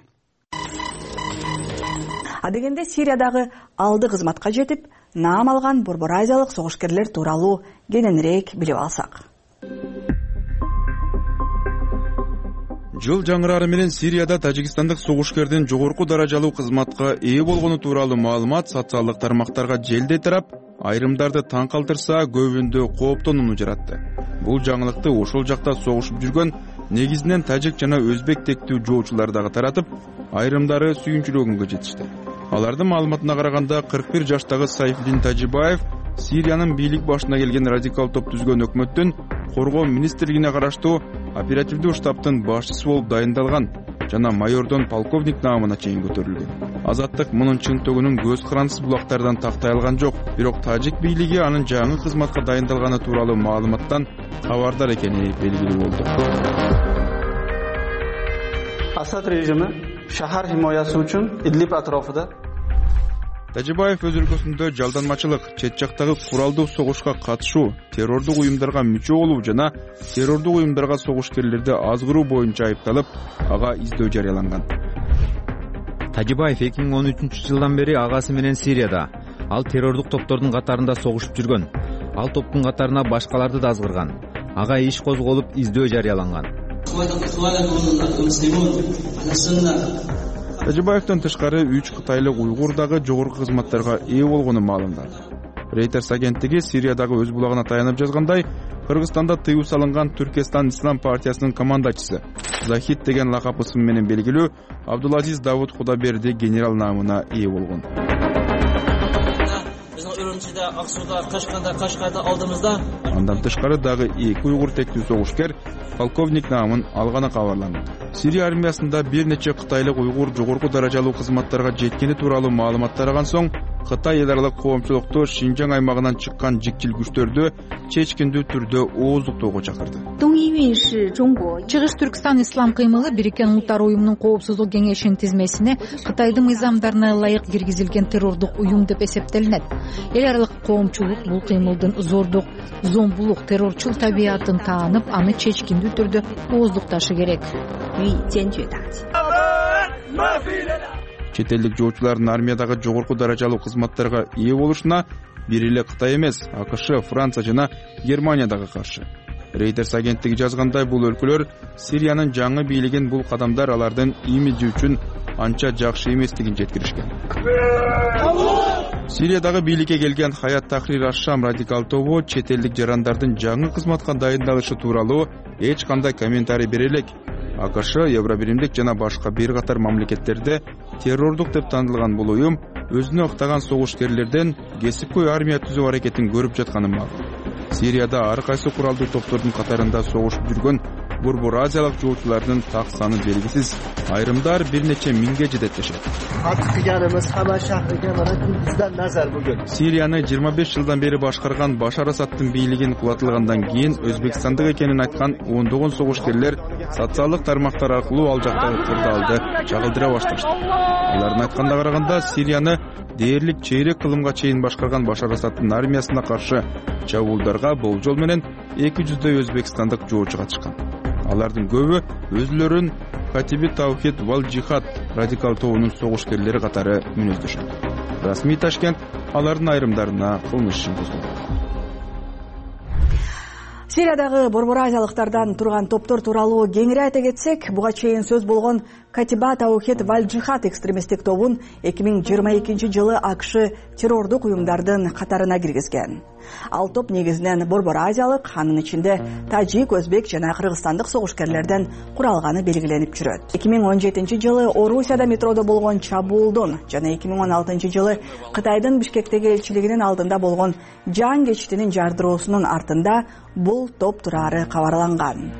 Адегенде Сириядагы алды кызматка жетип, наам алган борбор азиялык согушкерлер тууралуу кененирээк билип алсак. Жыл жаңырары менен Сирияда тажикстандык согушкердин жогорку даражалуу кызматка ээ болгону тууралуу маалымат социалдык тармактарга желдей тарап, айрымдарды таң калтырса, көбүндө кооптонууну жаратты. Бул жаңылыкты ошол жакта согушуп жүргөн негизинен тажик жана өзбек тектүү жоочулар дагы таратып, айрымдары сүйүнчүлөгөнгө жетишти. Алардын маалыматына караганда 41 жаштагы Сайфиддин Тажибаев Сириянын бийлик башына келген радикал топ түзгөн өкмөттүн коргоо министрлигине караштуу оперативдүү штабтын башчысы болуп дайындалган жана майордон полковник наамына чейин көтөрүлгөн. Азаттык мунун чынтөгүнүн көз карандысыз булактардан тактай алган жок, бирок тажик бийлиги анын жаңы кызматка дайындалганы тууралуу маалыматтан кабардар экени белгилүү болду. Асад режими шаар химоясы үчүн Идлиб атрофунда Тажибаев өз өлкөсүндө жалданмачылык, чет жактагы куралдуу согушка катышуу, террордук уюмдарга мүчө болуу жана террордук уюмдарга согушкерлерди азгыруу боюнча айыпталып, ага издөө жарыяланган. Тажибаев 2013-жылдан бери агасы менен Сирияда. Ал террордук топтордун катарында согушуп жүргөн. Ал топтун катарына башкаларды да азгырган. Ага иш козголуп, издөө жарыяланган. Тажибаевден тышкары 3 кытайлык уйгур дагы жогорку кызматтарга ээ болгону маалымдалды. Reuters агенттиги Сириядагы өз булагына таянып жазгандай, Кыргызстанда тыюу салынган Түркестан Ислам партиясынын командачысы Захид деген лакап ысым менен белгилүү Абдулазиз Давуд Кудаберди генерал наамына ээ болгон. Андан тышкары дагы 2 уйгур тектүү согушкер полковник наамын алганы кабарланган. Сирия армиясында бир нече кытайлык уйгур жогорку даражалуу кызматтарга жеткени тууралуу маалымат тараган соң, Кытай эл аралык коомчулукту Шинжаң аймагынан чыккан жикчил күчтөрдү чечкиндүү түрдө ооздуктоого чакырды. Чыгыш Түркстан ислам кыймылы Бириккен Улуттар уюмунун коопсуздук кеңешинин тизмесине Кытайдын мыйзамдарына ылайык киргизилген террордук уюм деп эсептелинет. Эл аралык коомчулук бул кыймылдын зордук, зомбулук, террорчул табиятын таанып, аны чечкиндүү түрдө ооздукташы керек. Чет элдик жоочулардын армиядагы жогорку даражалуу кызматтарга ээ болушуна бир эле Кытай эмес, АКШ, Франция жана Германия дагы каршы. Reuters агенттиги жазгандай, бул өлкөлөр Сириянын жаңы бийлигин бул кадамдар алардын имиджи үчүн анча жакшы эместигин жеткиришкен. Сириядагы бийликке келген Хаят Тахрир аш-Шам радикал тобу чет элдик жарандардын жаңы кызматка дайындалышы тууралуу эч кандай комментарий бере элек. АКШ, Евробиримдик жана башка бир катар мамлекеттерде террордук деп танылган бул уюм өзүнө ыктаган согушкерлерден кесипкөй армия түзүү аракетин көрүп жатканы макул. Сирияда ар кайсы куралдуу топтордун катарында согушуп жүргөн борбор азиялык жоочулардын так саны белгисиз. Айрымдар бир нече миңге жетет дешет. Сирияны 25 жылдан бери башкарган Башар Асадтын бийлигин кулатылгандан кийин Өзбекстандык экенин айткан ондогон согушкерлер социалдык тармактар аркылуу ал жактагы кырдаалды чагылдыра башташты. Алардын айтканына караганда, Сирияны дээрлик чейрек кылымга чейин башкарган Башар Асадтын армиясына каршы чабуулдарга болжол менен 200дөй өзбекстандык жоочу катышкан. Алардын көбү өзүлөрүн Катиби Таухид вал Джихад радикал тобунун согушкерлери катары мүнөздөшөт. Расмий Ташкент алардын айрымдарына кылмыш ишин козгоду. Сириядагы борбор азиялыктардан турган топтор тууралуу кеңири айта кетсек, буга чейин сөз болгон Катиба Таухид вал Джихад экстремисттик тобун 2022 жылы АКШ террордук уюмдардын катарына киргизген. Ал топ негизинен борбор азиялык, анын ичинде тажик, өзбек жана кыргызстандык согушкерлерден куралганы белгиленип жүрөт. 2017 жылы Орусияда метродо болгон чабуулдун жана 2016 жылы Кытайдын Бишкектеги элчилигинин алдында болгон жан кечтинин жардыроосунун артында бул топ турары кабарланган.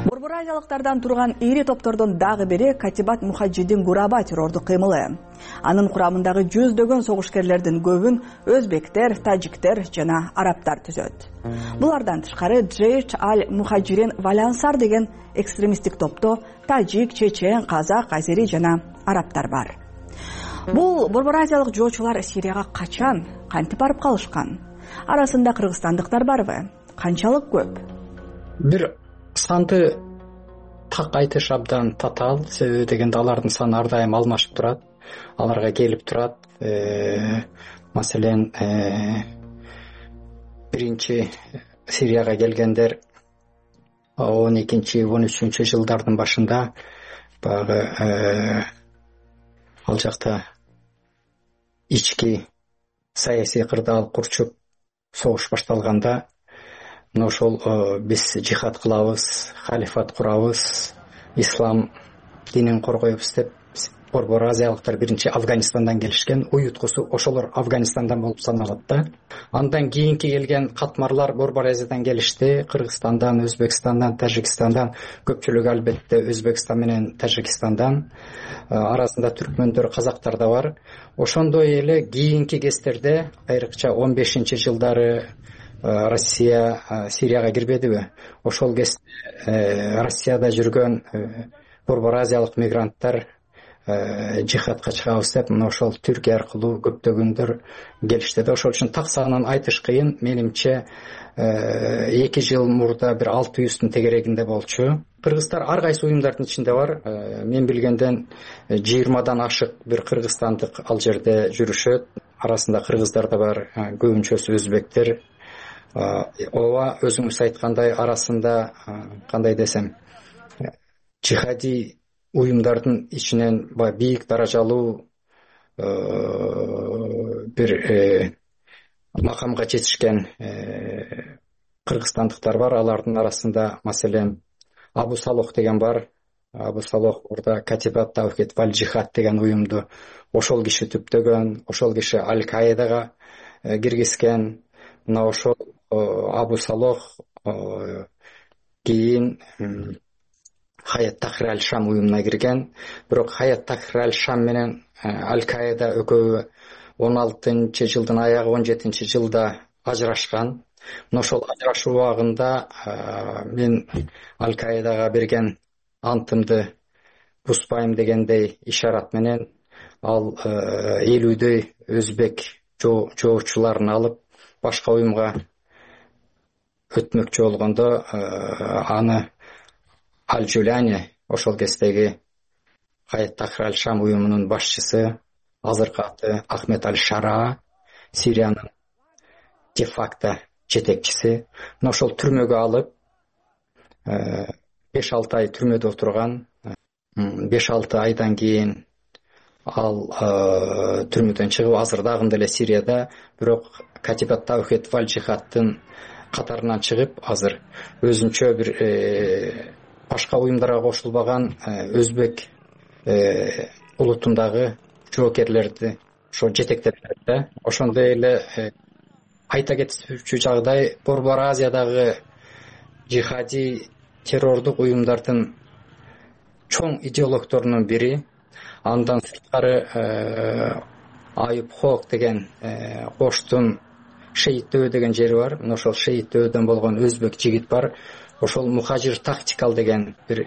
Борбор азиялыктардан турган ири топтордун дагы бири Катибат Мухаджидин Гураба террордук кыймылы. Анын курамындагы жүздөгөн согушкерлердин көбүн өзбектер, тажиктер жана арабтар түзөт. Булардан тышкары Джейш аль-Мухаджирин Валянсар деген экстремисттик топто тажик, чечен, казак, азери жана арабтар бар. Бул борбор азиялык жоочулар Сирияга качан, кантип барып калышкан? Арасында кыргызстандыктар барбы? Канчалык көп? Бир санды так айтыш абдан татаал, себеби дегенде алардын саны ар дайым алмашып турат, аларга келип турат. Маселен, биринчи Сирияга келгендер 12-13 жылдардын башында баягы ал жакта ички саясий кырдаал курчуп согуш башталганда, мына ошол биз жихад кылабыз, халифат курабыз, ислам динин коргойбуз деп борбор азиялыктар биринчи Афганистандан келишкен. Уюткусу ошолор Афганистандан болуп саналат да. Андан кийинки келген катмарлар борбор азиядан келишти. Кыргызстандан, Өзбекстандан, Тажикстандан, көпчүлүгү албетте Өзбекстан менен Тажикстандан. Арасында түркмөндөр, казактар да бар. Ошондой эле кийинки кездерде, айрыкча 15-жылдары Россия Сирияга кирбедиби? Ошол кезде Россияда жүргөн борбор азиялык мигранттар жихадка чыгабыз деп, мына ошол Түркия аркылуу көптөгөндөр келишти да. Ошол үчүн так санын айтыш кыйын. Менимче 2 жыл мурда бир 600-тун тегерегинде болчу. Кыргыздар ар кайсы уюмдардын ичинде бар. Мен билгенден 20дан ашык бир кыргызстандык ал жерде жүрүшөт. Арасында кыргыздар да бар, көбүнчөсү өзбектер. Ооба, өзүңүз айткандай, арасында кандай десем, жихади уюмдардын ичинен бийик даражалуу бир макамга жетишкен кыргызстандыктар бар. Алардын арасында маселен Абу Салох деген бар. Абу Салох орда Катибат Таухид вал Джихад деген уюмду ошол киши түптөгөн, ошол киши Аль-Каидага киргизген. Мына ошол Абу Салох кийин Хаят Тахрир аль-Шам уюмуна кирген. Бирок Хаят Тахрир аль-Шам менен Аль-Каида экөө 16-жылдын аягы 17-жылда ажырашкан. Ошол ажырашуу убагында мен Аль-Каидага берген антымды бузбайм дегендей ишарат менен ал 50 өзбек жоочуларын алып башка уюмга өтмөкчү болгондо аны Аль-Жуляни, ошол кездеги Хаят Тахрир аль-Шам уюмунун башчысы, азыркы аты Ахмед аль-Шара, Сириянын де-факто жетекчиси, ошол түрмөгө алып 5-6 ай түрмөдө отурган. 5-6 айдан кийин ал түрмөдөн чыгып азыр дагы деле Сирияда, бирок Катибат Таухид валь Жихадтын катарынан чыгып азыр өзүнчө бир башка уюмдарга кошулбаган өзбек улутундагы жоокерлерди ошо жетектеп берет да. Ошондой эле айта кетүүчү жагдай, Борбор Азиядагы жихади террордук уюмдардын чоң идеологторунун бири. Андан сырткары Айып Хок деген Коштун Шейиттөө деген жери бар. Ошол Шейиттөөдөн болгон өзбек жигит бар. Ошол Мухажир тактикал деген бир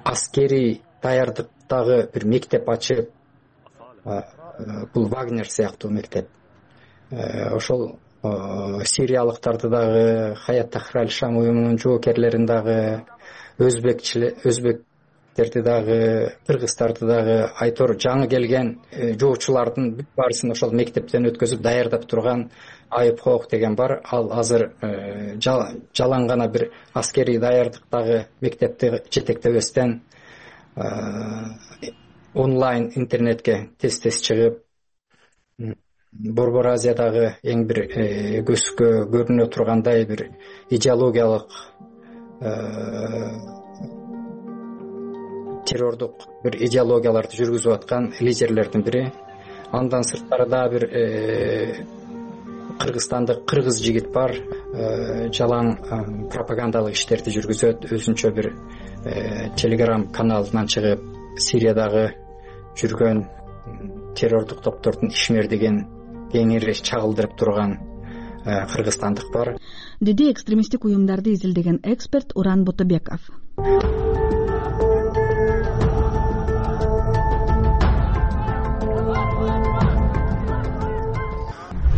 аскери даярдыктагы бир мектеп ачып, бул Вагнер сыяктуу мектеп. Ошол сириялыктарды дагы, Хаят Тахрир аль-Шам уюмунун жоокерлерин дагы, өзбектерди дагы, кыргыздарды дагы, айтор жаңы келген жоочулардын бүт баарысын ошол мектептен өткөзүп даярдап турган Айып Хок деген бар. Ал азыр жалаң гана бир аскери даярдыктагы мектепти жетектебестен онлайн интернетке тез чыгып, Борбор Азиядагы эң бир көзгө көрүнө тургандай бир идеологиялык террордук бир идеологияларды жүргүзүп аткан лидерлердин бири. Андан сырткары да бир кыргызстандык кыргыз жигит бар, жалаң пропагандалык иштерди жүргүзөт, өзүнчө бир телеграм каналынан чыгып Сириядагы жүргөн террордук топтордун ишмердигин кеңири чагылдырып турган кыргызстандык бар, деди экстремисттик уюмдарды изилдеген эксперт Уран Ботобеков.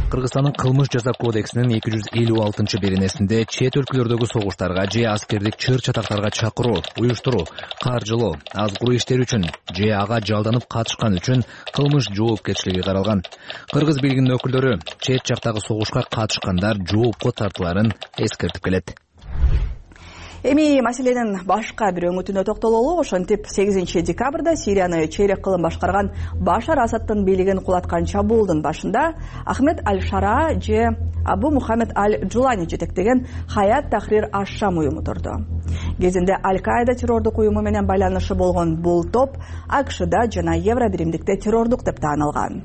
Кыргызстандын кылмыш жаза кодексинин 256-беренесинде чет өлкөлөрдөгү согуштарга же аскердик чыр-чатактарга чакыруу, уюштуруу, каржылоо, азгыруу иштери үчүн же ага жалданып катышкан үчүн кылмыш жоопкерчилиги каралган. Кыргыз бийлигинин өкүлдөрү чет жактагы согушка катышкандар жоопко тартыларын эскертип келет. Эми маселенин башка бир өңүтүнө токтололу. Ошентип 8 декабрда Сирияны чейрек кылым башкарган Башар Асадтын бийлигин кулаткан чабуулдун башында Ахмед аль-Шара же Абу Мухаммед аль-Джулани жетектеген Хаят Тахрир аль-Шам уюму турду. Кезинде Аль-Каида террордук уюму менен байланышы болгон бул топ АКШда жана Евро биримдикте террордук деп таанылган.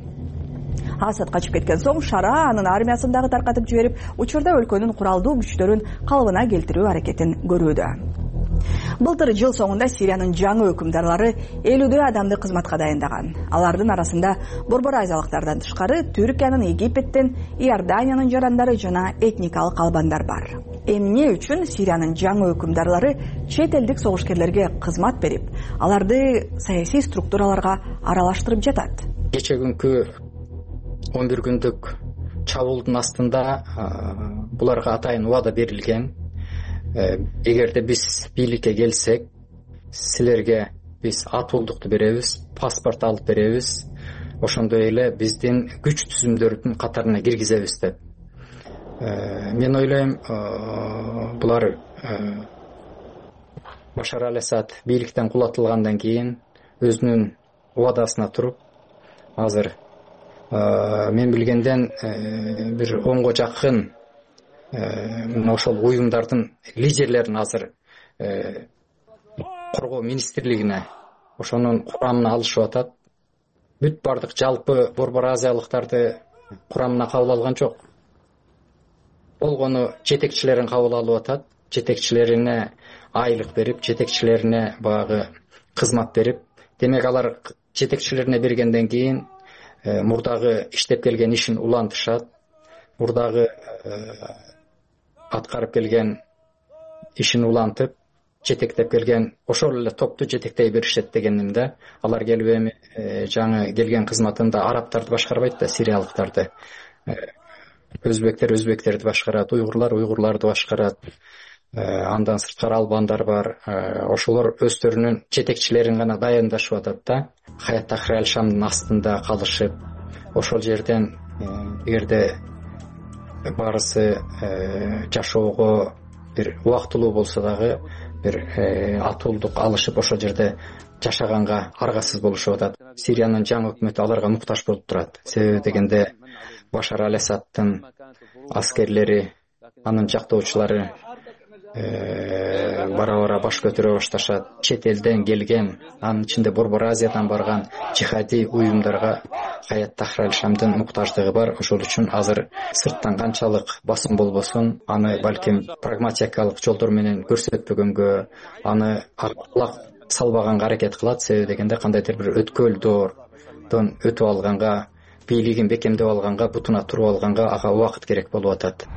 Асад качып кеткен соң Шара анын армиясын дагы таркатып жиберип, учурда өлкөнүн куралдуу күчтөрүн калыбына келтирүү аракетин көрүүдө. Былтыр жыл соңунда Сириянын жаңы өкүмдарлары 50 адамды кызматка дайындаган. Алардын арасында Борбор Азиялыктардан тышкары Түркиянын, Египеттин, Иорданиянын жарандары жана этникалык албандар бар. Эмне үчүн Сириянын жаңы өкүмдарлары чет элдик согушкерлерге кызмат берип, аларды саясий структураларга аралаштырып жатат? Кече күнкү 11 күндүк чабуулдун астында буларга атайын убада берилген. Эгерде биз бийликке келсек, силерге биз атуулдукту беребиз, паспорт алып беребиз, ошондой эле биздин күч түзүмдөрдүн катарына киргизебиз деп. Мен ойлойм, булар Башар аль-Асад бийликтен кулатылгандан кийин өзүнүн убадасына туруп, азыр мен билгенден бир 10го жакын ошол уюмдардын лидерлерин азыр коргоо министрлигине ошонун курамына алышып атат. Бүт бардык жалпы Борбор Азиялыктарды курамына кабыл алган жок. Болгону жетекчилерин кабыл алып атат. жетекчилерине айлык берип, жетекчилерине баягы кызмат берип, демек алар жетекчилерине бергенден кийин мурдагы иштеп келген ишин улантышат, мурдагы аткарып келген ишин улантып, жетектеп келген ошол эле топту жетектей беришет дегеним да. Алар келип эми жаңы келген кызматында арабтарды башкарбайт да, сириялыктарды, өзбектерди башкарат, уйгурларды башкарат. Андан сырткары албандар бар. Ошолор өздөрүнүн жетекчилерин гана дайындашып атат да. Хаят Тахрир Аль-Шамдын астында калышып, ошол жерден эгерде баарысы жашоого бир убактылуу болсо дагы бир атуулдук алышып ошол жерде жашаганга аргасыз болушуп атат. Сириянын жаңы өкмөтү аларга муктаж болуп турат. Себеби дегенде Башар Аль-Асадтын аскерлери, анын жактоочулары бара баш көтөрө башташат. Чет элден келген, анын ичинде Борбор Азиядан барган жихади уюмдарга Хаят Тахрир Аль-Шамдын муктаждыгы бар. Ошол үчүн азыр сырттан канчалык басым болбосун, аны балким прагматикалык жолдор менен көрсөтпөгөнгө, аны алак салбаганга аракет кылат. Себеби дегенде кандайдыр бир өткөл доордон өтүп алганга, бийлигин бекемдеп алганга, бутуна туруп алганга ага убакыт керек болуп атат,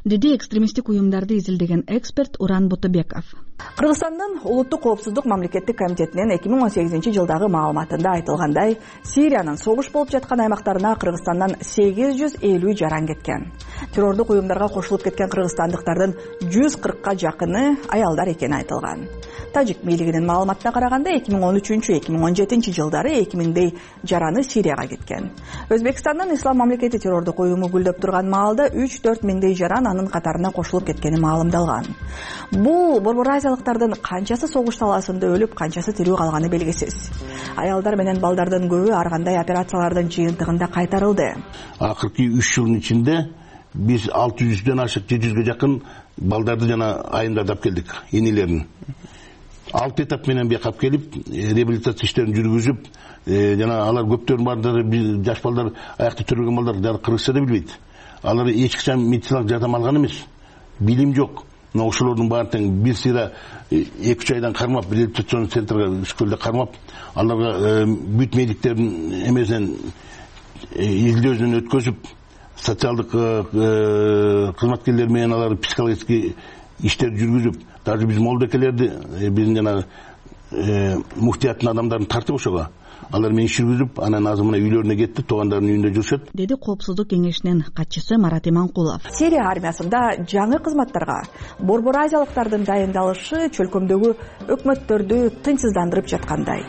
деди экстремисттик уюмдарды изилдеген эксперт Уран Бутубеков. Кыргызстандын улуттук коопсуздук мамлекеттик комитетинин 2018-жылдагы маалыматында айтылгандай, Сириянын согуш болуп жаткан аймактарына Кыргызстандан 850 жаран кеткен. Террордук уюмдарга кошулуп кеткен кыргызстандыктардын 140ка жакыны аялдар экени айтылган. Тажик бийлигинин маалыматына караганда 2013-2017 жылдары 2000дей жараны Сирияга кеткен. Өзбекстандын Ислам мамлекети террордук уюму гүлдөп турган маалда 3-4 миңдей жаран анын катарына кошулуп кеткени маалымдалган. Бул Борбор Азиялыктардын канчасы согуш талаасында өлүп, канчасы тирүү калганы белгисиз. Аялдар менен балдардын көбү ар кандай операциялардын жыйынтыгында кайтарылды. Акыркы 3 жылдын ичинде биз 600дөн ашык, 700ге жакын балдарды жана айымдарды алып келдик, энелерин. 6 этап менен бияка келип, реабилитация иштерин жүргүзүп, жана алар көптөрүн баардыгы жаш балдар, аякта төрөлгөн балдар кыргызча да билбейт. Алар эч качан медициналык жардам алган эмес. Билим жок. Но ошолордун баардыгын бир сыйра 2-3 айдан кармап, реабилитацион центрге школда кармап, аларга бүт медиктердин эмесинен изилдөөсүнөн өткөзүп, социалдык кызматкерлер менен алар психологический иштер жүргүзүп, даже биз молдокелерди, биздин жана муфтияттын адамдарын тартып ошого. Алар менен иш жүргүзүп, анан азыр мына үйлөрүнө кетти, туугандарынын үйүндө жүрүшөт, деди Коопсуздук кеңешинин катчысы Марат Иманкулов. Сирия армиясында жаңы кызматтарга Борбор Азиялыктардын дайындалышы чөлкөмдөгү өкмөттөрдү тынчсыздандырып жаткандай.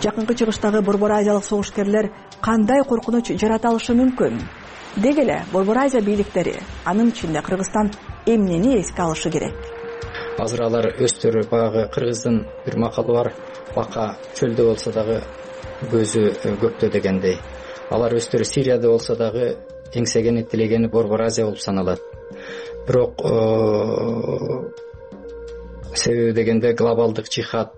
Жакынкы чыгыштагы Борбор Азиялык согушкерлер кандай коркунуч жарата алышы мүмкүн? Деги эле Борбор Азия бийликтери, анын ичинде Кыргызстан эмнени эске алышы керек? Азыр алар өздөрү баягы кыргыздын бир макалы бар, бака чөлдө болсо дагы көзү көктө дегендей. Алар өздөрү Сирияда болсо дагы эңсегени, тилегени Борбор Азия болуп саналат. Бирок себеби дегенде глобалдык жихад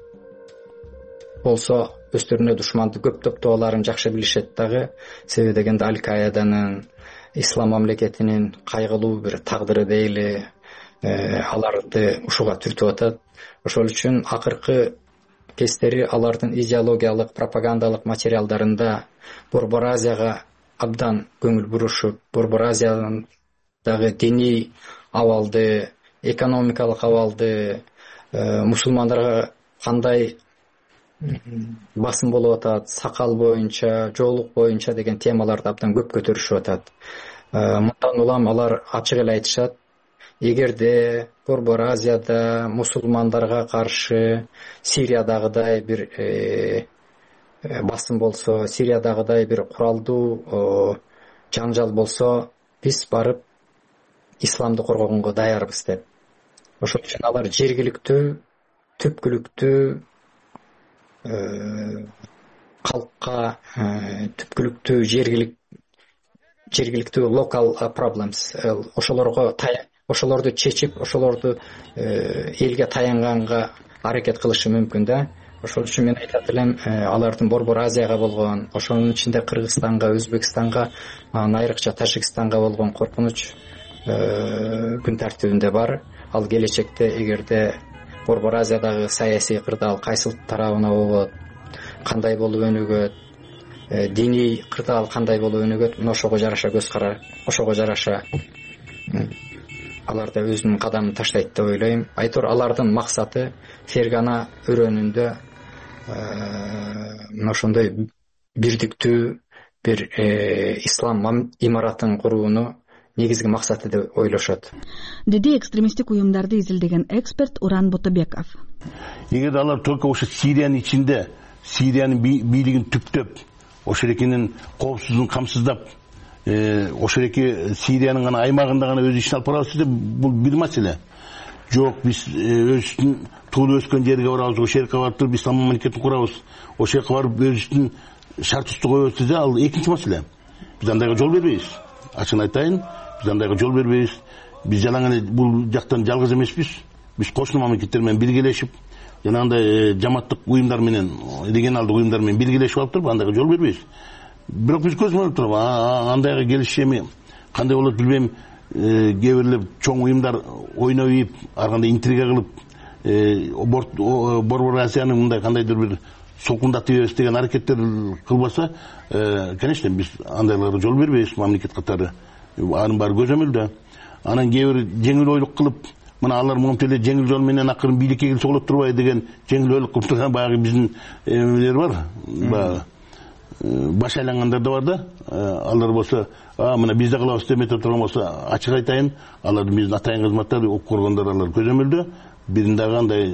болсо өздөрүнө душманды көп топтооларын жакшы билишет дагы. Себеби дегенде Аль-Каиданын, Ислам мамлекетинин кайгылуу бир тагдыры дейли, аларды ушуга түртүп атат. Ошол үчүн акыркы кездери алардын идеологиялык, пропагандалык материалдарында Борбор Азияга абдан көңүл бурушуп, Борбор Азиядагы диний абалды, экономикалык абалды, мусулмандарга кандай басым болуп атат, сакал боюнча, жоолук боюнча деген темаларды абдан көп көтөрүшүп атат. Мындан улам алар ачык эле айтышат, эгерде Борбор Азияда мусулмандарга каршы Сириядагыдай бир басым болсо, Сириядагыдай бир куралдуу жаңжал болсо, биз барып исламды коргогонго даярбыз деп. Ошол үчүн алар жергиликтүү, түпкүлүктүү калкка, түпкүлүктүү жергиликтүү local problems, ошолорду чечип, ошолорду элге таянганга аракет кылышы мүмкүн да. Ошол үчүн мен айтат элем, алардын Борбор Азияга болгон, ошонун ичинде Кыргызстанга, Өзбекстанга, айрыкча Тажикстанга болгон коркунуч күн тартибинде бар. ал келечекте эгерде Борбор Азиядагы саясий кырдаал кайсыл тарабына болот, кандай болуп өнүгөт, диний кырдаал кандай болуп өнүгөт, ошого жараша көз карар, ошого жараша алар да өзүнүн кадамын таштайт деп ойлойм. Айтор алардын максаты Фергана өрөөнүндө ошондой бирдиктүү бир ислам имаратын курууну негизги максаты деп ойлошот, деди экстремисттик уюмдарды изилдеген эксперт Уран Ботобеков. Эгер алар только ошо Сириянын ичинде Сириянын бийлигин түптөп, ошол эркенин коопсуздугун камсыздап, ошол эки Сириянын гана аймагында гана өз ишин алып барабыз десе, бул бир маселе. Жок, биз өзүбүздүн туулуп өскөн жерге барабыз, ошол жерге барып туруп ислам мамлекетин курабыз, ошол жака барып өзүбүздүн шарт коебуз десе, ал экинчи маселе. Биз андайга жол бербейбиз. Ачыгын айтайын, биз андайга жол бербейбиз. Биз жалаң эле бул жактан жалгыз эмеспиз. Биз кошуна мамлекеттер менен биргелешип, жанагындай жамааттык уюмдар менен, регионалдык уюмдар менен биргелешип алып туруп, андайга жол бербейбиз. Бирок биз көзмөнөп туруп, андайга келишеми кандай болот билбейм, кээ бирлер чоң уюмдар ойноп ийип, ар кандай интрига кылып, Борбор Азияны мындай кандайдыр бир солкундатып ийбес деген аракеттер кылбаса, конечно, биз андайларга жол бербейбиз мамлекет катары. Анын баары көзөмөлдө. Анан кээ бир жеңил ойлук кылып, мына алар монтип эле жеңил жол менен акырын бийликке келсе болот турбайбы деген жеңил ойлук кылып турган баягы биздин эмелер бар. Баягы баш айлангандар да бар да. Алар болсо, мына биз да кылабыз деп метип турган болсо, ачык айтайын, алар биздин атайын кызматтар, ок коргондор алар көзөмөлдө. Бирин дагы андай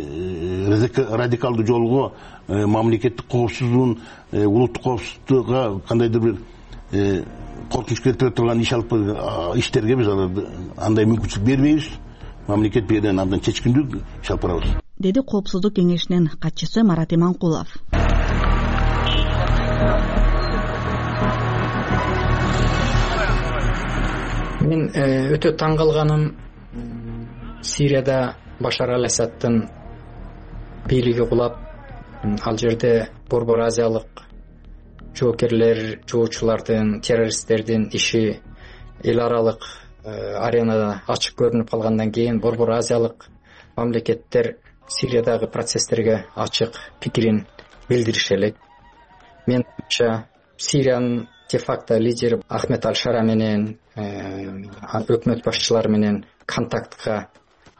радикалдуу жолго, мамлекеттик коопсуздугун, улуттук коопсуздукка кандайдыр бир коркунуч келтире турган иш алып иштерге биз аларды андай мүмкүнчүлүк бербейбиз. Мамлекет берген абдан чечкиндүү иш алып барабыз, деди Коопсуздук кеңешинин катчысы Марат Иманкулов. Мен өтө таң калганым, Сирияда Башар ал-Асадтын бийлиги кулап, ал жерде Борбор Азиялык жоокерлер, жоочулардын, террористтердин иши эл аралык аренада ачык көрүнүп калгандан кийин Борбор Азиялык мамлекеттер Сириядагы процесстерге ачык пикирин билдириши элек. Менимче Сириянын де-факто лидери Ахмед Аль-Шара менен өкмөт башчылары менен контактка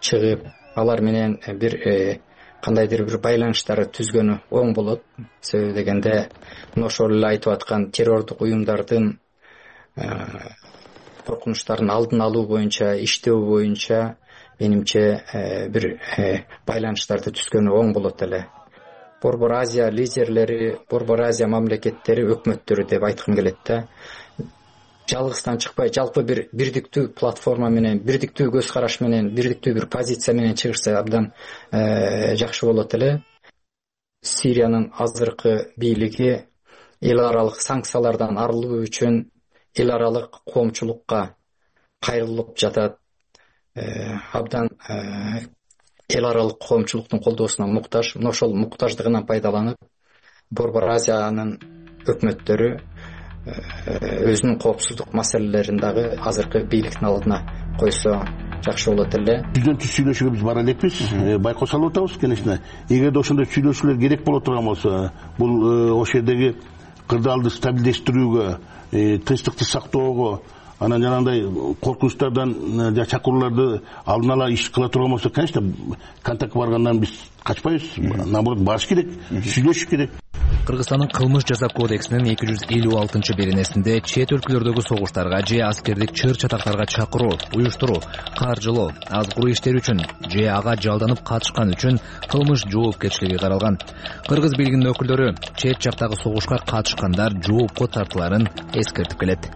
чыгып, алар менен бир кандайдыр бир байланыштарды түзгөнү оң болот. Себеби дегенде, ошол эле айтып аткан террордук уюмдардын коркунучтарын алдын алуу боюнча, иштөө боюнча менимче бир байланыштарды түзгөнү оң болот эле. Борбор Азия лидерлери, Борбор Азия мамлекеттери, өкмөттөрү деп айткым келет да. Жалгыздан чыкпай, жалпы бир бирдиктүү платформа менен, бирдиктүү көз караш менен, бирдиктүү бир позиция менен чыгышса абдан жакшы болот эле. Сириянын азыркы бийлиги эл аралык санкциялардан арылуу үчүн эл аралык коомчулукка кайрылып жатат. Абдан эл аралык коомчулуктун колдоосуна муктаж. Ошол муктаждыгынан пайдаланып, Борбор Азиянын өкмөттөрү өзүнүн коопсуздук маселелерин дагы азыркы бийликтин алдына койсо жакшы болот эле. Түздөн түз сүйлөшүүгө биз бара элекпиз, байкоо салып атабыз, конечно. Эгерде ошондой сүйлөшүүлөр керек боло турган болсо, бул ошол жердеги кырдаалды стабилдештирүүгө, тынчтыкты сактоого, анан жанагындай коркунучтардан чакырууларды алдын ала иш кыла турган болсо, конечно, контактка баргандан биз качпайбыз. Наоборот, барыш керек, сүйлөшүш керек. Кыргызстандын кылмыш жаза кодексинин 256-беренесинде чет өлкөлөрдөгү согуштарга же аскердик чыр чатактарга чакыруу, уюштуруу, каржылоо, аз куру иштер үчүн же ага жалданып катышкан үчүн кылмыш жоопкерчилиги каралган. Кыргыз бийлигинин өкүлдөрү чет жактагы согушка катышкандар жоопко тартыларын эскертип келет.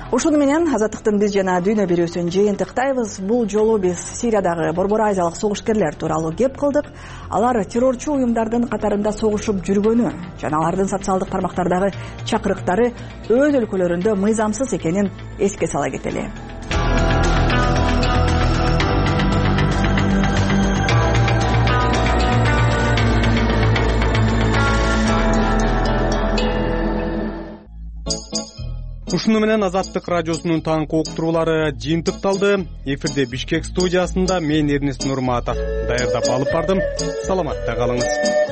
Ушуну менен Азаттыктын биз жана дүйнө берүүсүн жыйынтыктайбыз. Бул жолу биз Сириядагы Борбор Азиялык согушкерлер тууралуу кеп кылдык. Алар террорчу уюмдардын катарында согушуп жүргөнү жана алардын социалдык тармактардагы чакырыктары өз өлкөлөрүндө мыйзамсыз экенин эске сала кетели. ушуну менен Азаттык радиосунун таңкы уктуруулары жыйынтыкталды. Эфирде Бишкек студиясында мен Эрнест Нурматов даярдап алып бардым. Саламатта калыңыз.